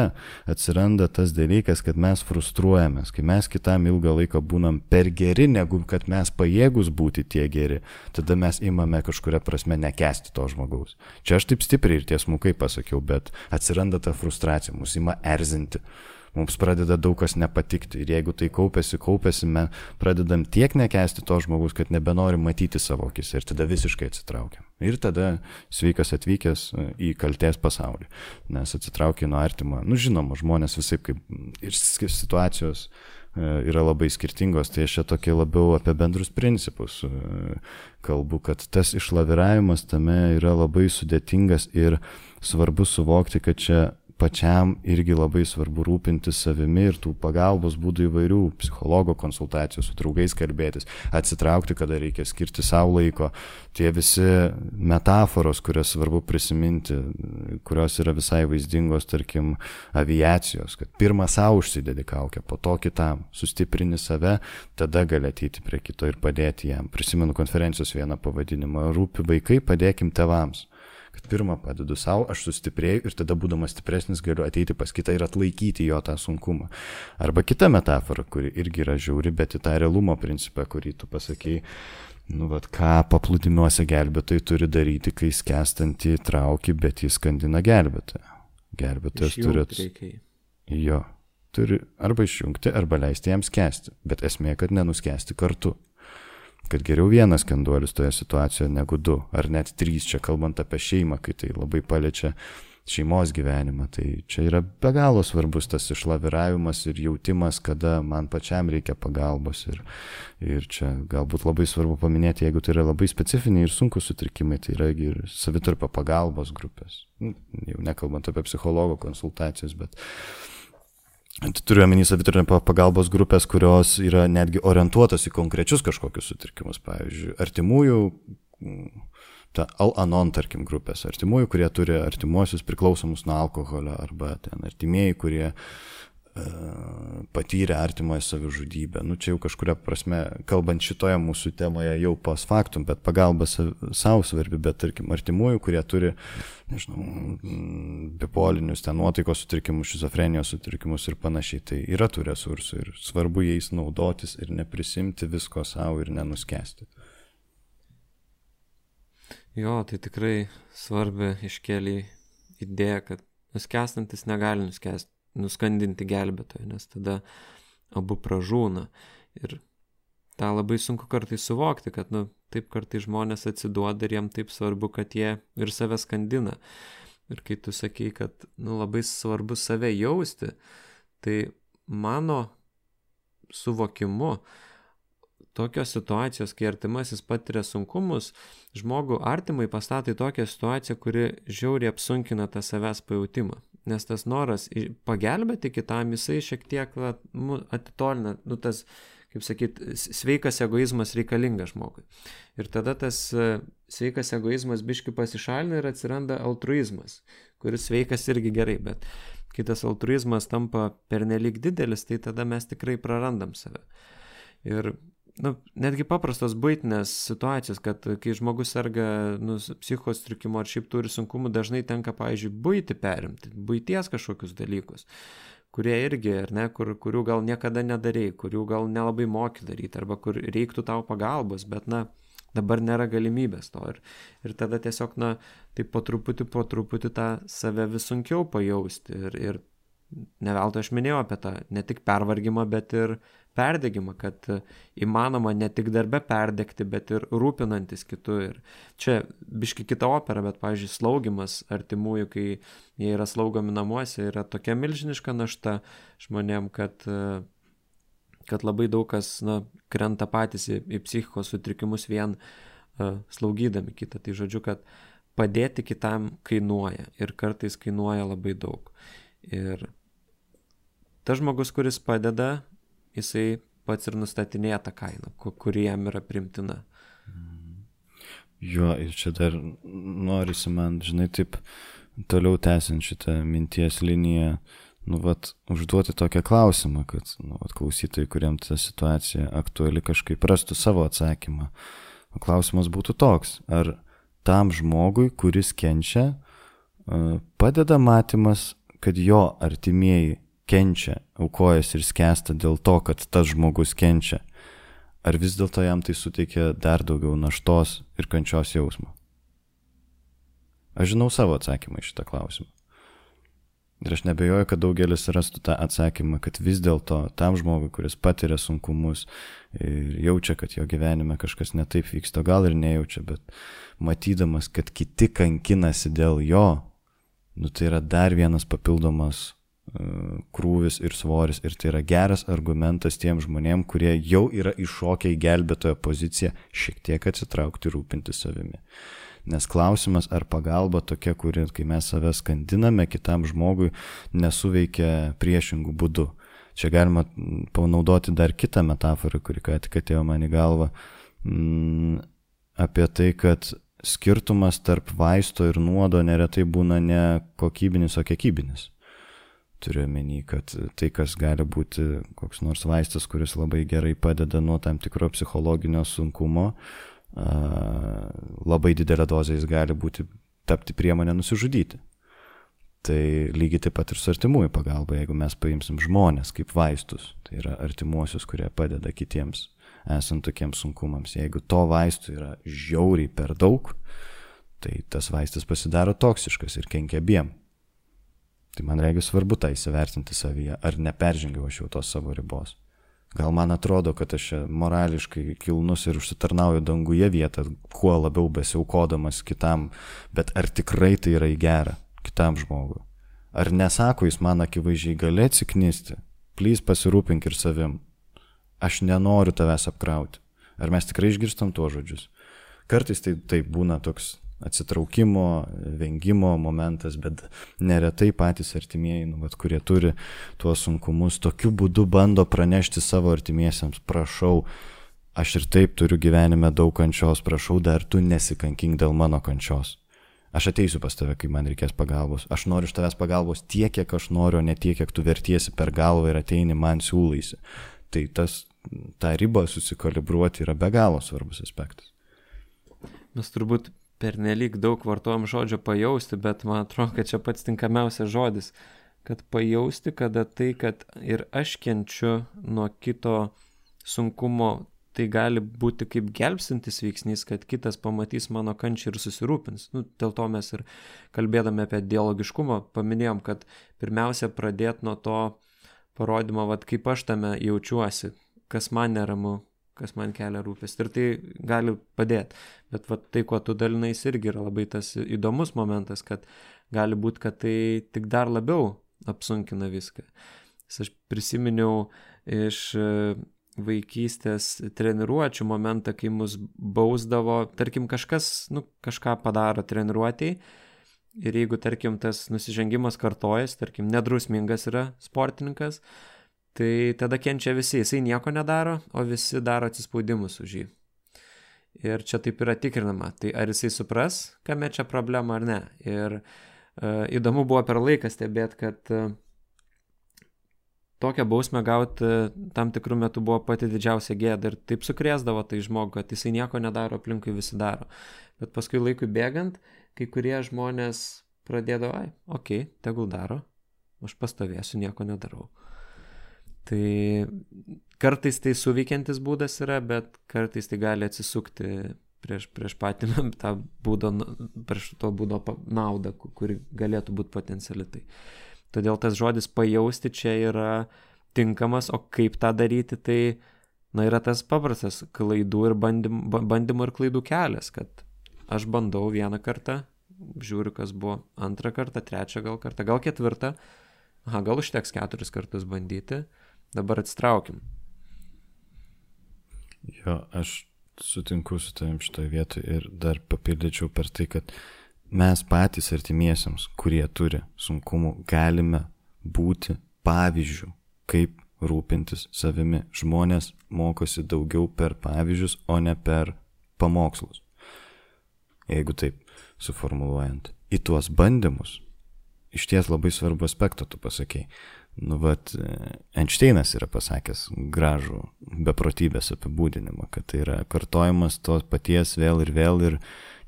S2: atsiranda tas dalykas, kad mes frustruojamės, kai mes kitam ilgą laiką būnam per geri, negu kad mes pajėgus būti tie geri, tada mes imame kažkuria prasme nekęsti to žmogaus. Čia aš taip stipriai ir tiesmukai pasakiau, bet atsiranda ta frustracija, mus ima erzinti. Mums pradeda daug kas nepatikti ir jeigu tai kaupėsi, kaupėsi, mes pradedam tiek nekęsti to žmogus, kad nebenorim matyti savo akise ir tada visiškai atsitraukiam. Ir tada sveikas atvykęs į kaltės pasaulį, nes atsitraukia nuo artimo. Nu žinoma, žmonės visai kaip ir situacijos yra labai skirtingos, tai aš čia tokie labiau apie bendrus principus kalbu, kad tas išlaviravimas tame yra labai sudėtingas ir svarbu suvokti, kad čia pačiam irgi labai svarbu rūpintis savimi ir tų pagalbos būdų įvairių, psichologo konsultacijų, su draugais kalbėtis, atsitraukti, kada reikia skirti savo laiko. Tie visi metaforos, kurias svarbu prisiminti, kurios yra visai vaizdingos, tarkim, aviacijos, kad pirmą savo užsidedi kaukę, po to kitam, sustiprini save, tada gali ateiti prie kito ir padėti jam. Prisimenu konferencijos vieną pavadinimą, rūpi vaikai, padėkim tėvams. Kad pirmą padedu savo, aš sustiprėjau ir tada būdamas stipresnis galiu ateiti pas kitą ir atlaikyti jo tą sunkumą. Arba kita metafora, kuri irgi yra žiauri, bet į tą realumo principą, kurį tu pasakei, nu vat, ką paplūdimiuose gelbėtojai turi daryti, kai skęstantį trauki, bet jis skandina gelbėtoją. Gelbėtojas turi... Jo, turi arba išjungti, arba leisti jam skęsti, bet esmė, kad nenuskęsti kartu. Kad geriau vienas skenduolis toje situacijoje negu du, ar net trys, čia kalbant apie šeimą, kai tai labai paliečia šeimos gyvenimą. Tai čia yra be galo svarbus tas išlaviravimas ir jautimas, kada man pačiam reikia pagalbos. Ir, ir čia galbūt labai svarbu paminėti, jeigu tai yra labai specifiniai ir sunkus sutrikimai, tai yra ir savitarpio pagalbos grupės. Jau nekalbant apie psichologo konsultacijas, bet... Turiu omeny savitarpio pagalbos grupės, kurios yra netgi orientuotos į konkrečius kažkokius sutrikimus. Pavyzdžiui, artimųjų, ta Al-Anon, tarkim, grupės, artimųjų, kurie turi artimuosius priklausomus nuo alkoholio, arba ten artimieji, kurie patyrė artimoje savižudybę. Nu, čia jau kažkuria prasme, kalbant šitoje mūsų temoje jau post factum, bet pagalba savo svarbi, bet tarkim, artimųjų, kurie turi, nežinau, bipolinius, ten nuotaikos sutrikimus, šizofrenijos sutrikimus ir panašiai, tai yra tų resursų ir svarbu jais naudotis ir neprisimti visko savo ir nenuskesti.
S1: Jo, tai tikrai svarbi iškėlė idėja, kad nuskestantis negali nuskesti. nuskandinti gelbėtoją, nes tada abu pražūna. Ir tą labai sunku kartais suvokti, kad nu, taip kartais žmonės atsiduoda ir jiem taip svarbu, kad jie ir save skandina. Ir kai tu sakei, kad nu, labai svarbu save jausti, tai mano suvokimu tokios situacijos, kai artimasis patiria sunkumus, žmogų artimai pastato į tokią situaciją, kuri žiauriai apsunkina tą savęs pajautimą. Nes tas noras pagelbėti kitam, jisai šiek tiek va, atitolina, nu, tas, kaip sakyt, sveikas egoizmas reikalingas žmogui. Ir tada tas sveikas egoizmas biški pasišalina ir atsiranda altruizmas, kuris sveikas irgi gerai, bet kai tas altruizmas tampa pernelyg didelis, tai tada mes tikrai prarandam save. Ir nu, netgi paprastos buitinės situacijos, kad kai žmogus serga nu, psichikos sutrikimu ar šiaip turi sunkumų, dažnai tenka, pavyzdžiui, buitį perimti, buities kažkokius dalykus, kurie irgi, ar ne, kur, kurių gal niekada nedarei, kurių gal nelabai moki daryti, arba kur reiktų tau pagalbos, bet, na, dabar nėra galimybės to. Ir, ir tada tiesiog, na, tai po truputį, po truputį tą save vis sunkiau pajausti. Ir, ir ne veltui aš minėjau apie tą ne tik pervargimą, bet ir perdegimą, kad įmanoma ne tik darbe perdegti, bet ir rūpinantis kitu. Ir čia biški kita opera, bet, pavyzdžiui, slaugimas artimųjų, kai jie yra slaugomi namuose, yra tokia milžiniška našta žmonėm, kad kad labai daug kas, na, krenta patys į, į psichikos sutrikimus vien uh, slaugydami kitą. Tai žodžiu, kad padėti kitam kainuoja ir kartais kainuoja labai daug. Ir tas žmogus, kuris padeda, jisai pats ir nustatinėja tą kainą, kuri jam yra primtina.
S2: Jo, ir čia dar norisi man, žinai, taip toliau tęsiant šitą minties liniją, nu, vat, užduoti tokią klausimą, kad, nu, vat, klausytojai, kuriem ta situacija aktuali, kažkaip rastų savo atsakymą. O klausimas būtų toks, ar tam žmogui, kuris kenčia, padeda matymas, kad jo artimieji kenčia, aukojasi ir skęsta dėl to, kad tas žmogus kenčia, ar vis dėlto jam tai suteikia dar daugiau naštos ir kančios jausmo? Aš žinau savo atsakymą į šitą klausimą. Ir aš nebejoju, kad daugelis rastų tą atsakymą, kad vis dėlto tam žmogui, kuris patiria sunkumus ir jaučia, kad jo gyvenime kažkas netaip vyksta, gal ir nejaučia, bet matydamas, kad kiti kankinasi dėl jo, nu tai yra dar vienas papildomas uh, krūvis ir svoris, ir tai yra geras argumentas tiem žmonėm, kurie jau yra iššokę į gelbėtojo poziciją, šiek tiek atsitraukti ir rūpinti savimi. Nes klausimas, ar pagalba tokia, kuri, kai mes save skandiname kitam žmogui, nesuveikia priešingų būdų. Čia galima panaudoti dar kitą metaforą, kuri ką tik atėjo man į galvą, mm, apie tai, kad skirtumas tarp vaisto ir nuodo neretai būna ne kokybinis, o kiekybinis. Turiu omeny, kad tai, kas gali būti koks nors vaistas, kuris labai gerai padeda nuo tam tikro psichologinio sunkumo, labai didelė dozė jis gali būti, tapti priemonę nusižudyti. Tai lygiai taip pat ir su artimųjų pagalba, jeigu mes paimsim žmonės kaip vaistus, tai yra artimuosius, kurie padeda kitiems esant tokiems sunkumams. Jeigu to vaistų yra žiauriai per daug, tai tas vaistas pasidaro toksiškas ir kenkia abiem. Tai man reikia svarbu tą įsivertinti savyje, ar neperžengiau aš jau tos savo ribos. Gal man atrodo, kad aš morališkai kilnus ir užsitarnauju danguje vietą, kuo labiau besiaukodamas kitam, bet ar tikrai tai yra į gerą kitam žmogui? Ar nesako jis man akivaizdžiai, gali atsiknisti, plys pasirūpink ir savim, aš nenoriu tavęs apkrauti. Ar mes tikrai išgirstam tuos žodžius? Kartais tai, tai būna toks atsitraukimo, vengimo momentas, bet neretai patys artimieji, nu, vat, kurie turi tuos sunkumus, tokiu būdu bando pranešti savo artimiesiems, prašau, aš ir taip turiu gyvenime daug kančios, prašau, dar tu nesikankink dėl mano kančios. Aš ateisiu pas tave, kai man reikės pagalbos. Aš noriu iš tavęs pagalbos tiek, kiek aš noriu, o ne tiek, kiek tu vertiesi per galvą ir ateini man siūlaisi. Tai tas, tą ribą susikalibruoti yra be galo svarbus aspektas.
S1: Mes turbūt pernelyg daug vartojam žodžio pajausti, bet man atrodo, kad čia pats tinkamiausias žodis, kad pajausti, kada tai, kad ir aš kenčiu nuo kito sunkumo, tai gali būti kaip gelbstintis veiksnys, kad kitas pamatys mano kančią ir susirūpins. Nu, dėl to mes ir kalbėdami apie dialogiškumą paminėjom, kad pirmiausia pradėti nuo to parodymo, vat, kaip aš tame jaučiuosi, kas man neramu, kas man kelia rūpestį. Ir tai gali padėti. Bet vat, tai, kuo tu dalinais, irgi yra labai tas įdomus momentas, kad gali būti, kad tai tik dar labiau apsunkina viską. Aš prisiminiau iš vaikystės treniruočių momentą, kai mus bausdavo, tarkim, kažkas, nu, kažką padaro treniruotėj. Ir jeigu, tarkim, tas nusižengimas kartojas, tarkim, nedrusmingas yra sportininkas, tai tada kenčia visi, jisai nieko nedaro, o visi daro atsispaudimus už jį. Ir čia taip yra tikrinama, tai ar jisai supras, kame čia problema ar ne. Ir uh, įdomu buvo per laiką stebėti, kad uh, tokią bausmę gauti tam tikrų metų buvo pati didžiausia gėda ir taip sukrėsdavo tai žmogų, kad jisai nieko nedaro, aplinkui visi daro. Bet paskui laikui bėgant, kai kurie žmonės pradėdavo, ai, okei, okay, tegul daro, aš pastovėsiu, nieko nedarau. Tai kartais tai suveikiantis būdas yra, bet kartais tai gali atsisukti prieš, prieš patį tą būdo, prieš to būdo naudą, kuri galėtų būti potenciali. Tai. Todėl tas žodis pajausti čia yra tinkamas, o kaip tą daryti, tai na, yra tas paprastas klaidų ir bandymų, bandymų ir klaidų kelias, kad aš bandau vieną kartą, žiūriu, kas buvo antrą kartą, trečią gal kartą, gal ketvirtą, aha, gal užteks keturis kartus bandyti, dabar atsitraukim.
S2: Jo, aš sutinku su tavim šitoje vietoje ir dar papildyčiau per tai, kad mes patys artimiesiams, kurie turi sunkumų, galime būti pavyzdžių, kaip rūpintis savimi. Žmonės mokosi daugiau per pavyzdžius, o ne per pamokslus. Jeigu taip suformuluojant. Į tuos bandymus iš ties labai svarbu aspektą tu pasakei. Nu, vat, Einšteinas yra pasakęs gražų beprotybės apibūdinimą, kad tai yra kartojimas to paties vėl ir vėl ir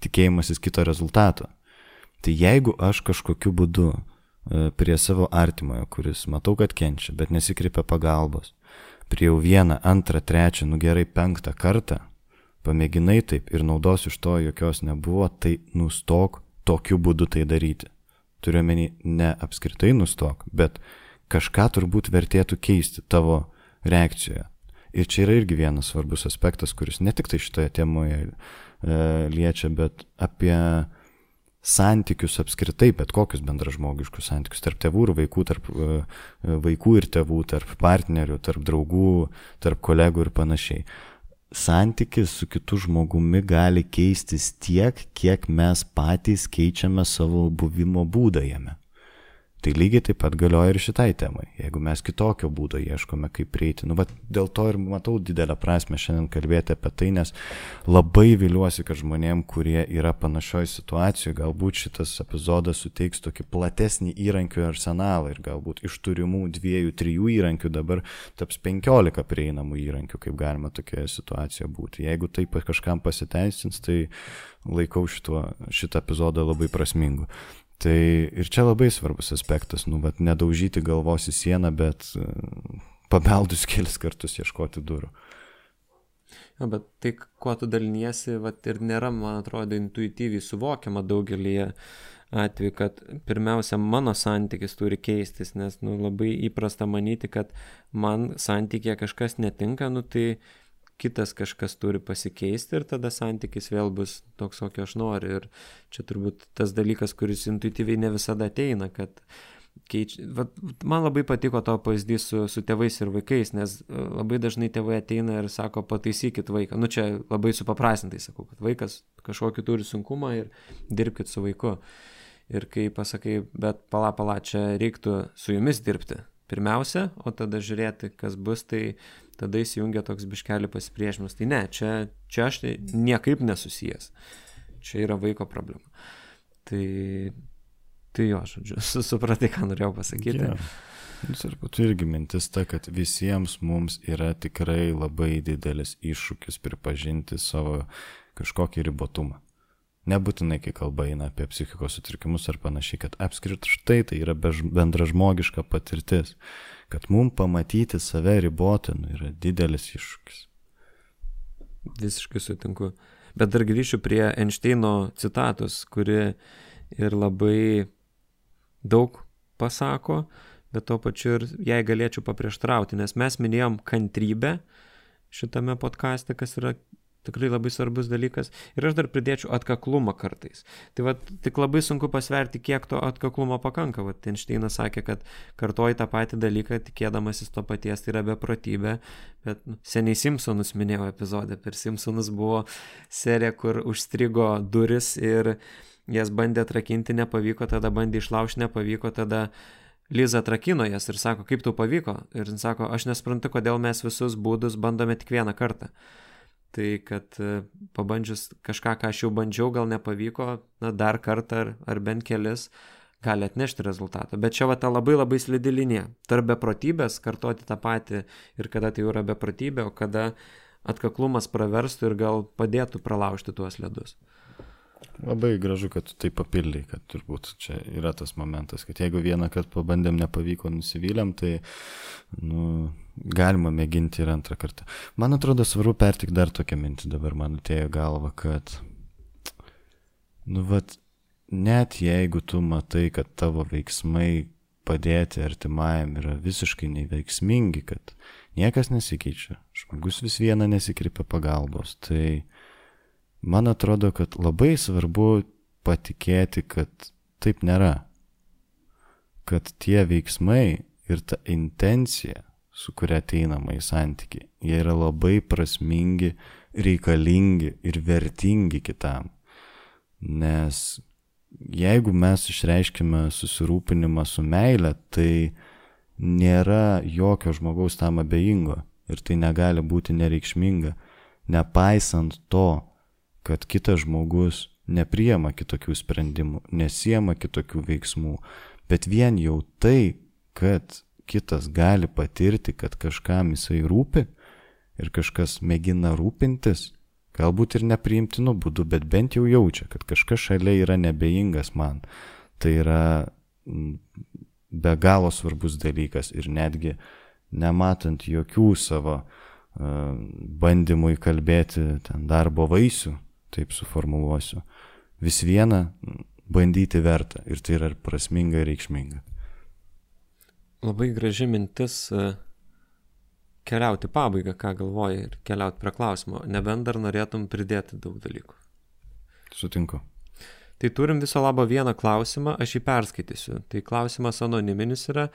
S2: tikėjimasis kito rezultato. Tai jeigu aš kažkokiu būdu prie savo artimojo, kuris matau, kad kenčia, bet nesikreipia pagalbos, prie jau vieną, antrą, trečią, nu gerai, penktą kartą, pamėginai taip ir naudos iš to jokios nebuvo, tai nustok tokiu būdu tai daryti. Turiu menį, ne apskritai nustok, bet kažką turbūt vertėtų keisti tavo reakcijoje. Ir čia yra irgi vienas svarbus aspektas, kuris ne tik tai šitoje temoje e, liečia, bet apie santykius apskritai, bet kokius bendražmogiškus santykius tarp tėvų ir vaikų, tarp e, vaikų ir tėvų, tarp partnerių, tarp draugų, tarp kolegų ir panašiai. Santykis su kitu žmogumi gali keistis tiek, kiek mes patys keičiame savo buvimo būdą jame. Tai lygiai taip pat galioja ir šitai temai. Jeigu mes kitokio būdo ieškome, kaip prieiti. Nu, bet dėl to ir matau didelę prasmę šiandien kalbėti apie tai, nes labai viliuosi, kad žmonėm, kurie yra panašioj situacijoje, galbūt šitas epizodas suteiks tokį platesnį įrankių arsenalą ir galbūt iš turimų dviejų, trijų įrankių dabar taps penkiolika prieinamų įrankių, kaip galima tokioje situacijoje būti. Jeigu tai kažkam pasiteisins, tai laikau šito, šitą epizodą labai prasmingu. Tai ir čia labai svarbus aspektas, nu, bet nedaužyti galvos į sieną, bet pabeldus kelis kartus ieškoti durų.
S1: Ja, bet tai, kuo tu daliniesi, vat, ir nėra, man atrodo, intuityviai suvokiama daugelį atveju, kad pirmiausia, mano santykis turi keistis, nes nu, labai įprasta manyti, kad man santykėje kažkas netinka, nu, tai kitas kažkas turi pasikeisti ir tada santykis vėl bus toks, kokio aš noriu. Ir čia turbūt tas dalykas, kuris intuityviai ne visada ateina, kad keič... Vat, man labai patiko to pavyzdys su, su tėvais ir vaikais, nes labai dažnai tėvai ateina ir sako, pataisykit vaiką. Nu čia labai supaprastintai sakau, kad vaikas kažkokį turi sunkumą ir dirbkit su vaiku. Ir kai pasakai, bet pala, pala, čia reiktų su jumis dirbti pirmiausia, o tada žiūrėti, kas bus, tai tada įsijungia toks biškelį pasipriešinimas. Tai ne, čia, čia aš tai niekaip nesusijęs. Čia yra vaiko problema. Tai, tai jo, žodžiu, supratai, ką norėjau pasakyti.
S2: Yeah. Ir būtų irgi mintis ta, kad visiems mums yra tikrai labai didelis iššūkis pripažinti savo kažkokį ribotumą. Nebūtinai, kai kalba eina apie psichikos sutrikimus ar panašiai, kad apskritai tai yra bendražmogiška patirtis, kad mums pamatyti save ribotą nu, yra didelis iššūkis.
S1: Visiškai sutinku. Bet dar grįšiu prie Einšteino citatos, kuri ir labai daug pasako, bet to pačiu ir jai galėčiau paprieštrauti, nes mes minėjom kantrybę šitame podcaste, kas yra tikrai labai svarbus dalykas. Ir aš dar pridėčiau atkaklumą kartais. Tai va, tik labai sunku pasverti, kiek to atkaklumo pakanka. Va, Einšteinas sakė, kad kartoji tą patį dalyką, tikėdamasis to paties, tai yra beprotybė. Bet nu, seniai Simpsonus minėjau epizode. Per Simpsonus buvo serija, kur užstrigo duris ir jas bandė atrakinti, nepavyko, tada bandė išlaužti, nepavyko, tada Liza atrakino jas ir sako, kaip tau pavyko? Ir jis sako, aš nesprantu, kodėl mes visus būdus bandome tik vieną kartą. Tai kad pabandžius kažką, ką aš jau bandžiau, gal nepavyko, na, dar kartą ar, ar bent kelis, gali atnešti rezultatą. Bet čia va ta labai labai slidi linija. Tarp beprotybės kartoti tą patį ir kada tai jau yra beprotybė, o kada atkaklumas praverstų ir gal padėtų pralaužti tuos ledus.
S2: Labai gražu, kad tu tai papildai, kad turbūt čia yra tas momentas, kad jeigu vieną kartą pabandėm, nepavyko, nusivylėm, tai nu, galima mėginti ir antrą kartą. Man atrodo svarbu pertik dar tokią mintį, dabar man atėjo galva, kad nu vat, net jeigu tu matai, kad tavo veiksmai padėti artimajam yra visiškai neveiksmingi, kad niekas nesikeičia, žmogus vis viena nesikreipia pagalbos, tai man atrodo, kad labai svarbu patikėti, kad taip nėra. Kad tie veiksmai ir ta intencija, su kuria ateinama į santykį, jie yra labai prasmingi, reikalingi ir vertingi kitam. Nes jeigu mes išreiškime susirūpinimą su meile, tai nėra jokio žmogaus tam abejingo ir tai negali būti nereikšminga, nepaisant to, kad kitas žmogus nepriema kitokių sprendimų, nesiema kitokių veiksmų, bet vien jau tai, kad kitas gali patirti, kad kažkam jisai rūpi ir kažkas mėgina rūpintis, galbūt ir nepriimtinu būdu, bet bent jau jaučia, kad kažkas šalia yra nebejingas man. Tai yra be galo svarbus dalykas ir netgi nematant jokių savo uh, bandymų įkalbėti ten darbo vaisių, taip suformuluosiu, vis viena bandyti verta ir tai yra prasminga ir reikšminga.
S1: Labai graži mintis keliauti pabaigą, ką galvoji, ir keliauti prie klausimo, nebent dar norėtum pridėti daug dalykų.
S2: Sutinku.
S1: Tai turim viso labo vieną klausimą, aš jį perskaitysiu. Tai klausimas anoniminis yra,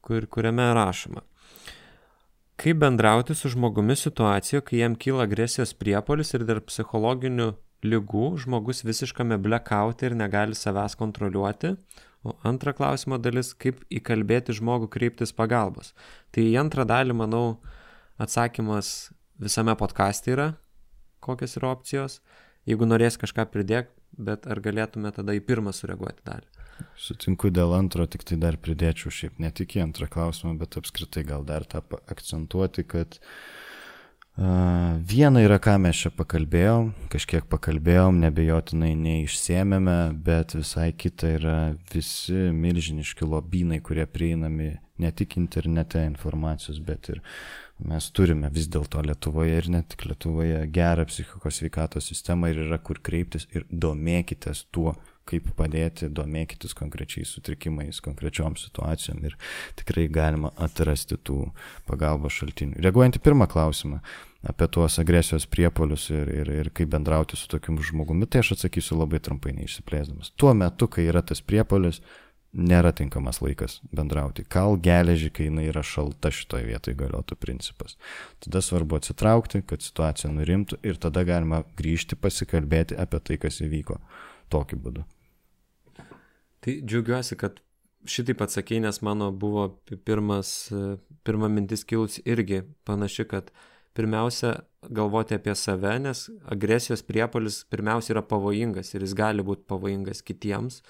S1: kur, kuriame rašoma. Kaip bendrauti su žmogumi situacijoje, kai jam kyla agresijos priepuolis ir dėl psichologinių ligų žmogus visiškame blackouti ir negali savęs kontroliuoti? O antra klausimo dalis, kaip įkalbėti žmogų kreiptis pagalbos. Tai į antrą dalį, manau, atsakymas visame podcaste yra, kokios yra opcijos. Jeigu norės kažką pridėk, bet ar galėtume tada į pirmą sureaguoti dalį?
S2: Sutinku dėl antro, tik tai dar pridėčiau šiaip ne tik į antrą klausimą, bet apskritai gal dar tą akcentuoti, kad uh, viena yra, ką mes čia pakalbėjom, kažkiek pakalbėjom, nebejotinai neišsėmėme, bet visai kita yra visi milžiniški lobynai, kurie prieinami ne tik internete informacijos, bet ir mes turime vis dėlto Lietuvoje ir ne tik Lietuvoje gerą psichikos sveikatos sistemą ir yra kur kreiptis ir domėkitės tuo, kaip padėti, domėkitės konkrečiais sutrikimais, konkrečiom situacijom ir tikrai galima atrasti tų pagalbos šaltinių. Reaguojant į pirmą klausimą apie tuos agresijos priepuolius ir, ir, ir kaip bendrauti su tokiu žmogumi, tai aš atsakysiu labai trumpai neišsiplėsdamas. Tuo metu, kai yra tas priepuolis, nėra tinkamas laikas bendrauti. Kal geležį, kai jinai yra šalta, šitoje vietoje galiotų principas. Tada svarbu atsitraukti, kad situacija nurimtų ir tada galima grįžti pasikalbėti apie tai, kas įvyko tokiu būdu.
S1: Tai džiaugiuosi, kad šitaip atsakei, nes mano buvo pirmas, pirma mintis kilus irgi panaši, kad pirmiausia galvoti apie save, nes agresijos priepuolis pirmiausia yra pavojingas ir jis gali būti pavojingas kitiems.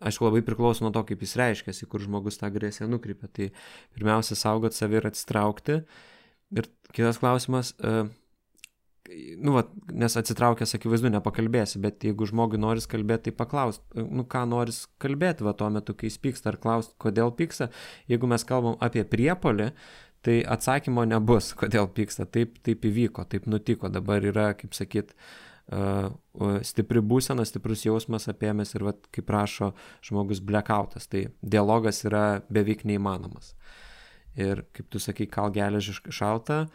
S1: Aišku, labai priklauso nuo to, kaip jis reiškiasi, kur žmogus tą agresiją nukreipia. Tai pirmiausia, saugot save ir atsitraukti. Ir kitas klausimas, uh, nu, va, nes atsitraukęs, akivaizdu, nepakalbėsi, bet jeigu žmogui noris kalbėti, tai paklaust, nu, ką noris kalbėti va tuo metu, kai jis pyksta, ar klaust, kodėl pyksta. Jeigu mes kalbam apie priepuolį, tai atsakymo nebus, kodėl pyksta. Taip, taip įvyko, taip nutiko. Dabar yra, kaip sakyt, Uh, stipri būsena, stiprus jausmas apėmęs ir, vat, kaip rašo žmogus, blackoutas, tai dialogas yra beveik neįmanomas. Ir kaip tu sakai, kal geležį šalta,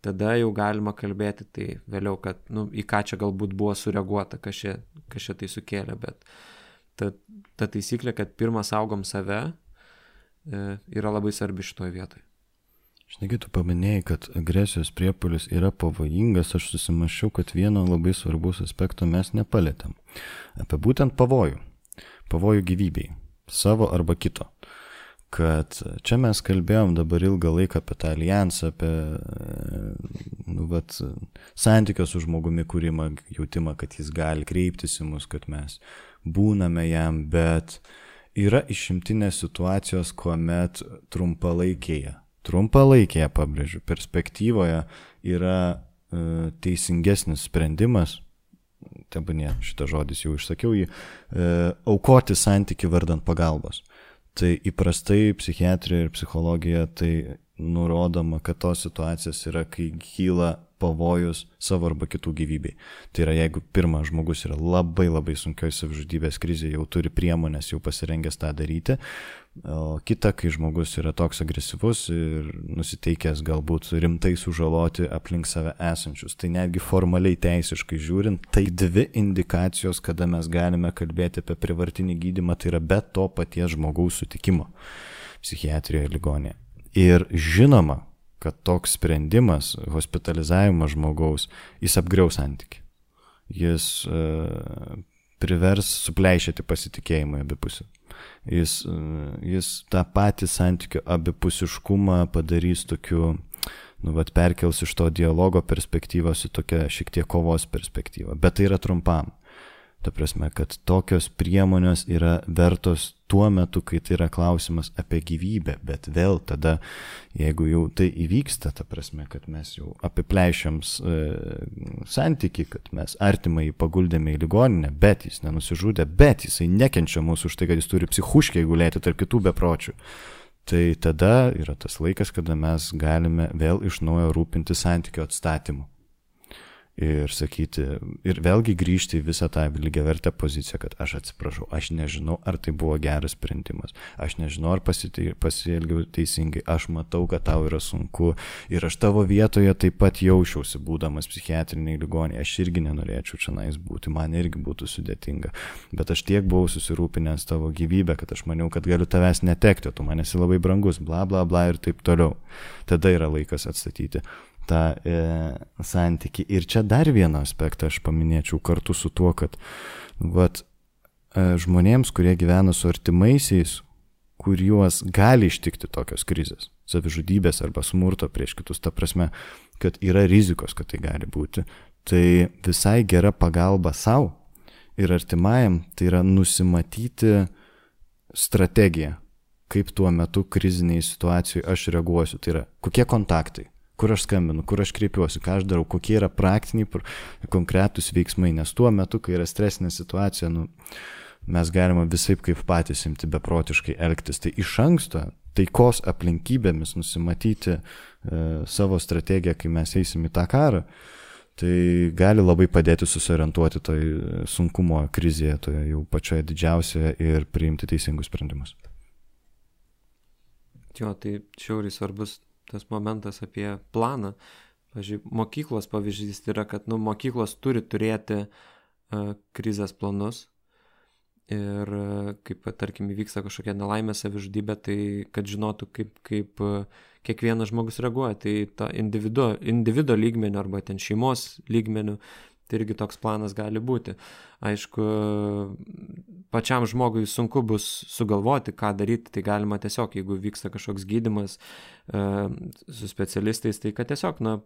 S1: tada jau galima kalbėti, tai vėliau, kad, nu, į ką čia galbūt buvo sureaguota, kas čia, kas čia tai sukėlė, bet ta, ta taisyklė, kad pirmą saugom save, e, yra labai svarbi šitoje vietoje.
S2: Žinai, tu paminėjai, kad agresijos priepuolis yra pavojingas, aš susimaščiau, kad vieno labai svarbus aspekto mes nepalėtėm. Apie būtent pavojų. Pavojų gyvybei. Savo arba kito. Kad čia mes kalbėjom dabar ilgą laiką apie tą alijansą, apie nu, vat, santykio su žmogumi kūrimą, jautimą, kad jis gali kreiptis į mus, kad mes būname jam, bet yra išimtinės situacijos, kuomet trumpalaikėje, trumpalaikėje, pabrėžiu, perspektyvoje yra e, teisingesnis sprendimas, tebūnie šitą žodis jau išsakiau jį, e, aukoti santykių vardant pagalbos. Tai įprastai psichiatrija ir psichologija tai nurodoma, kad tos situacijos yra, kai kyla pavojus savo arba kitų gyvybei. Tai yra, jeigu pirmas žmogus yra labai labai sunkioj savižudybės krizėje, jau turi priemonės, jau pasirengęs tą daryti, o kita, kai žmogus yra toks agresyvus ir nusiteikęs galbūt rimtai sužaloti aplink save esančius. Tai netgi formaliai teisiškai žiūrint, tai dvi indikacijos, kada mes galime kalbėti apie prievartinį gydymą, tai yra be to paties žmogaus sutikimo psichiatrijoje ligonėje. Ir žinoma, kad toks sprendimas, hospitalizavimas žmogaus, jis apgriaus santykį. Jis e, privers supleišėti pasitikėjimą abipusį. Jis, e, jis tą patį santykių abipusiškumą padarys tokiu, nu, vat, perkels iš to dialogo perspektyvos į tokią šiek tiek kovos perspektyvą. Bet tai yra trumpam. Ta prasme, kad tokios priemonės yra vertos tuo metu, kai tai yra klausimas apie gyvybę, bet vėl tada, jeigu jau tai įvyksta, ta prasme, kad mes jau apipleišiam e, santyki, kad mes artimai paguldėme į ligoninę, bet jis nenusižudė, bet jisai nekenčia mūsų už tai, kad jis turi psichuškiai gulėti tarp kitų bepročių. Tai tada yra tas laikas, kada mes galime vėl iš naujo rūpinti santykių atstatymu. Ir sakyti, ir vėlgi grįžti į visą tą lygiavertę poziciją, kad aš atsiprašau, aš nežinau, ar tai buvo geras sprendimas, aš nežinau, ar pasielgiau teisingai, aš matau, kad tau yra sunku ir aš tavo vietoje taip pat jaučiausi, būdamas psichiatriniai ligoninėje, aš irgi nenorėčiau čionais būti, man irgi būtų sudėtinga, bet aš tiek buvau susirūpinęs tavo gyvybę, kad aš maniau, kad galiu tavęs netekti, tu man esi labai brangus, bla bla bla ir taip toliau. Tada yra laikas atstatyti tą e, santykį. Ir čia dar vieną aspektą aš paminėčiau kartu su tuo, kad vat, e, žmonėms, kurie gyvena su artimaisiais, kuriuos gali ištikti tokios krizės, savižudybės arba smurto prieš kitus, ta prasme, kad yra rizikos, kad tai gali būti, tai visai gera pagalba savo ir artimajam, tai yra nusimatyti strategiją, kaip tuo metu kriziniai situacijai aš reaguosiu, tai yra kokie kontaktai, kur aš skambinu, kur aš kreipiuosi, ką aš darau, kokie yra praktiniai, konkretūs veiksmai, nes tuo metu, kai yra stresinė situacija, nu, mes galime visaip kaip patys imti beprotiškai elgtis. Tai iš anksto taikos aplinkybėmis nusimatyti e, savo strategiją, kai mes eisim į tą karą, tai gali labai padėti susiorientuoti toj sunkumo krizėje, toje jau pačioje didžiausioje ir priimti teisingus sprendimus.
S1: Jo, tai šiauriai svarbus tas momentas apie planą. Pavyzdžiui, mokyklos pavyzdys yra, kad nu, mokyklos turi turėti uh, krizės planus ir uh, kaip, tarkim, įvyksta kažkokia nelaimė savižudybė, tai kad žinotų, kaip, kaip uh, kiekvienas žmogus reaguoja. Tai ta individu, individo lygmeniu arba ten šeimos lygmeniu, tai irgi toks planas gali būti. Aišku, pačiam žmogui sunku bus sugalvoti, ką daryti, tai galima tiesiog, jeigu vyksta kažkoks gydymas e, su specialistais, tai kad tiesiog, na,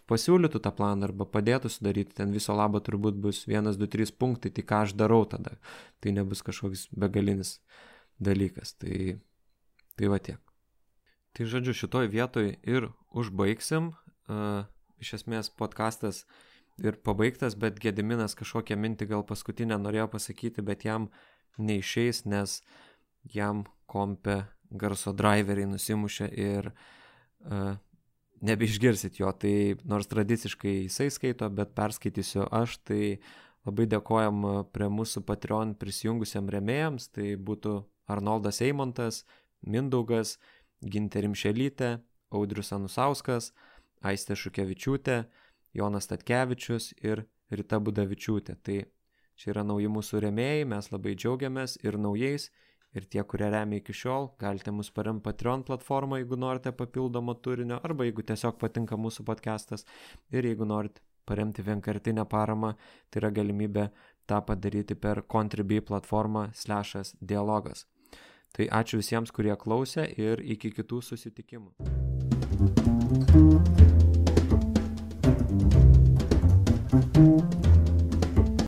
S1: pasiūlytų tą planą arba padėtų sudaryti, ten viso labo turbūt bus vienas, du, trys punktai, tai ką aš darau tada, tai nebus kažkoks begalinis dalykas, tai, tai va tiek. Tai žodžiu, šitoj vietoj ir užbaigsim, e, iš esmės podcastas ir pabaigtas, bet Gediminas kažkokią mintį gal paskutinę norėjo pasakyti, bet jam neišeis, nes jam kompe garso driveriai nusimušė ir uh, nebeišgirsit jo, tai nors tradiciškai jisai skaito, bet perskaitysiu aš, tai labai dėkojam prie mūsų Patreon prisijungusiam rėmėjams, tai būtų Arnoldas Eimontas, Mindaugas, Gintė Rimšelytė, Audrius Anusauskas, Aistė Šukevičiūtė, Jonas Statkevičius ir Rita Budavičiūtė. Tai čia yra nauji mūsų rėmėjai, mes labai džiaugiamės ir naujais, ir tie, kurie remia iki šiol, galite mus paremti Patreon platformą, jeigu norite papildomo turinio, arba jeigu tiesiog patinka mūsų podcastas, ir jeigu norite paremti vienkartinę paramą, tai yra galimybė tą padaryti per Contribui platformą slešas dialogas. Tai ačiū visiems, kurie klausė ir iki kitų susitikimų.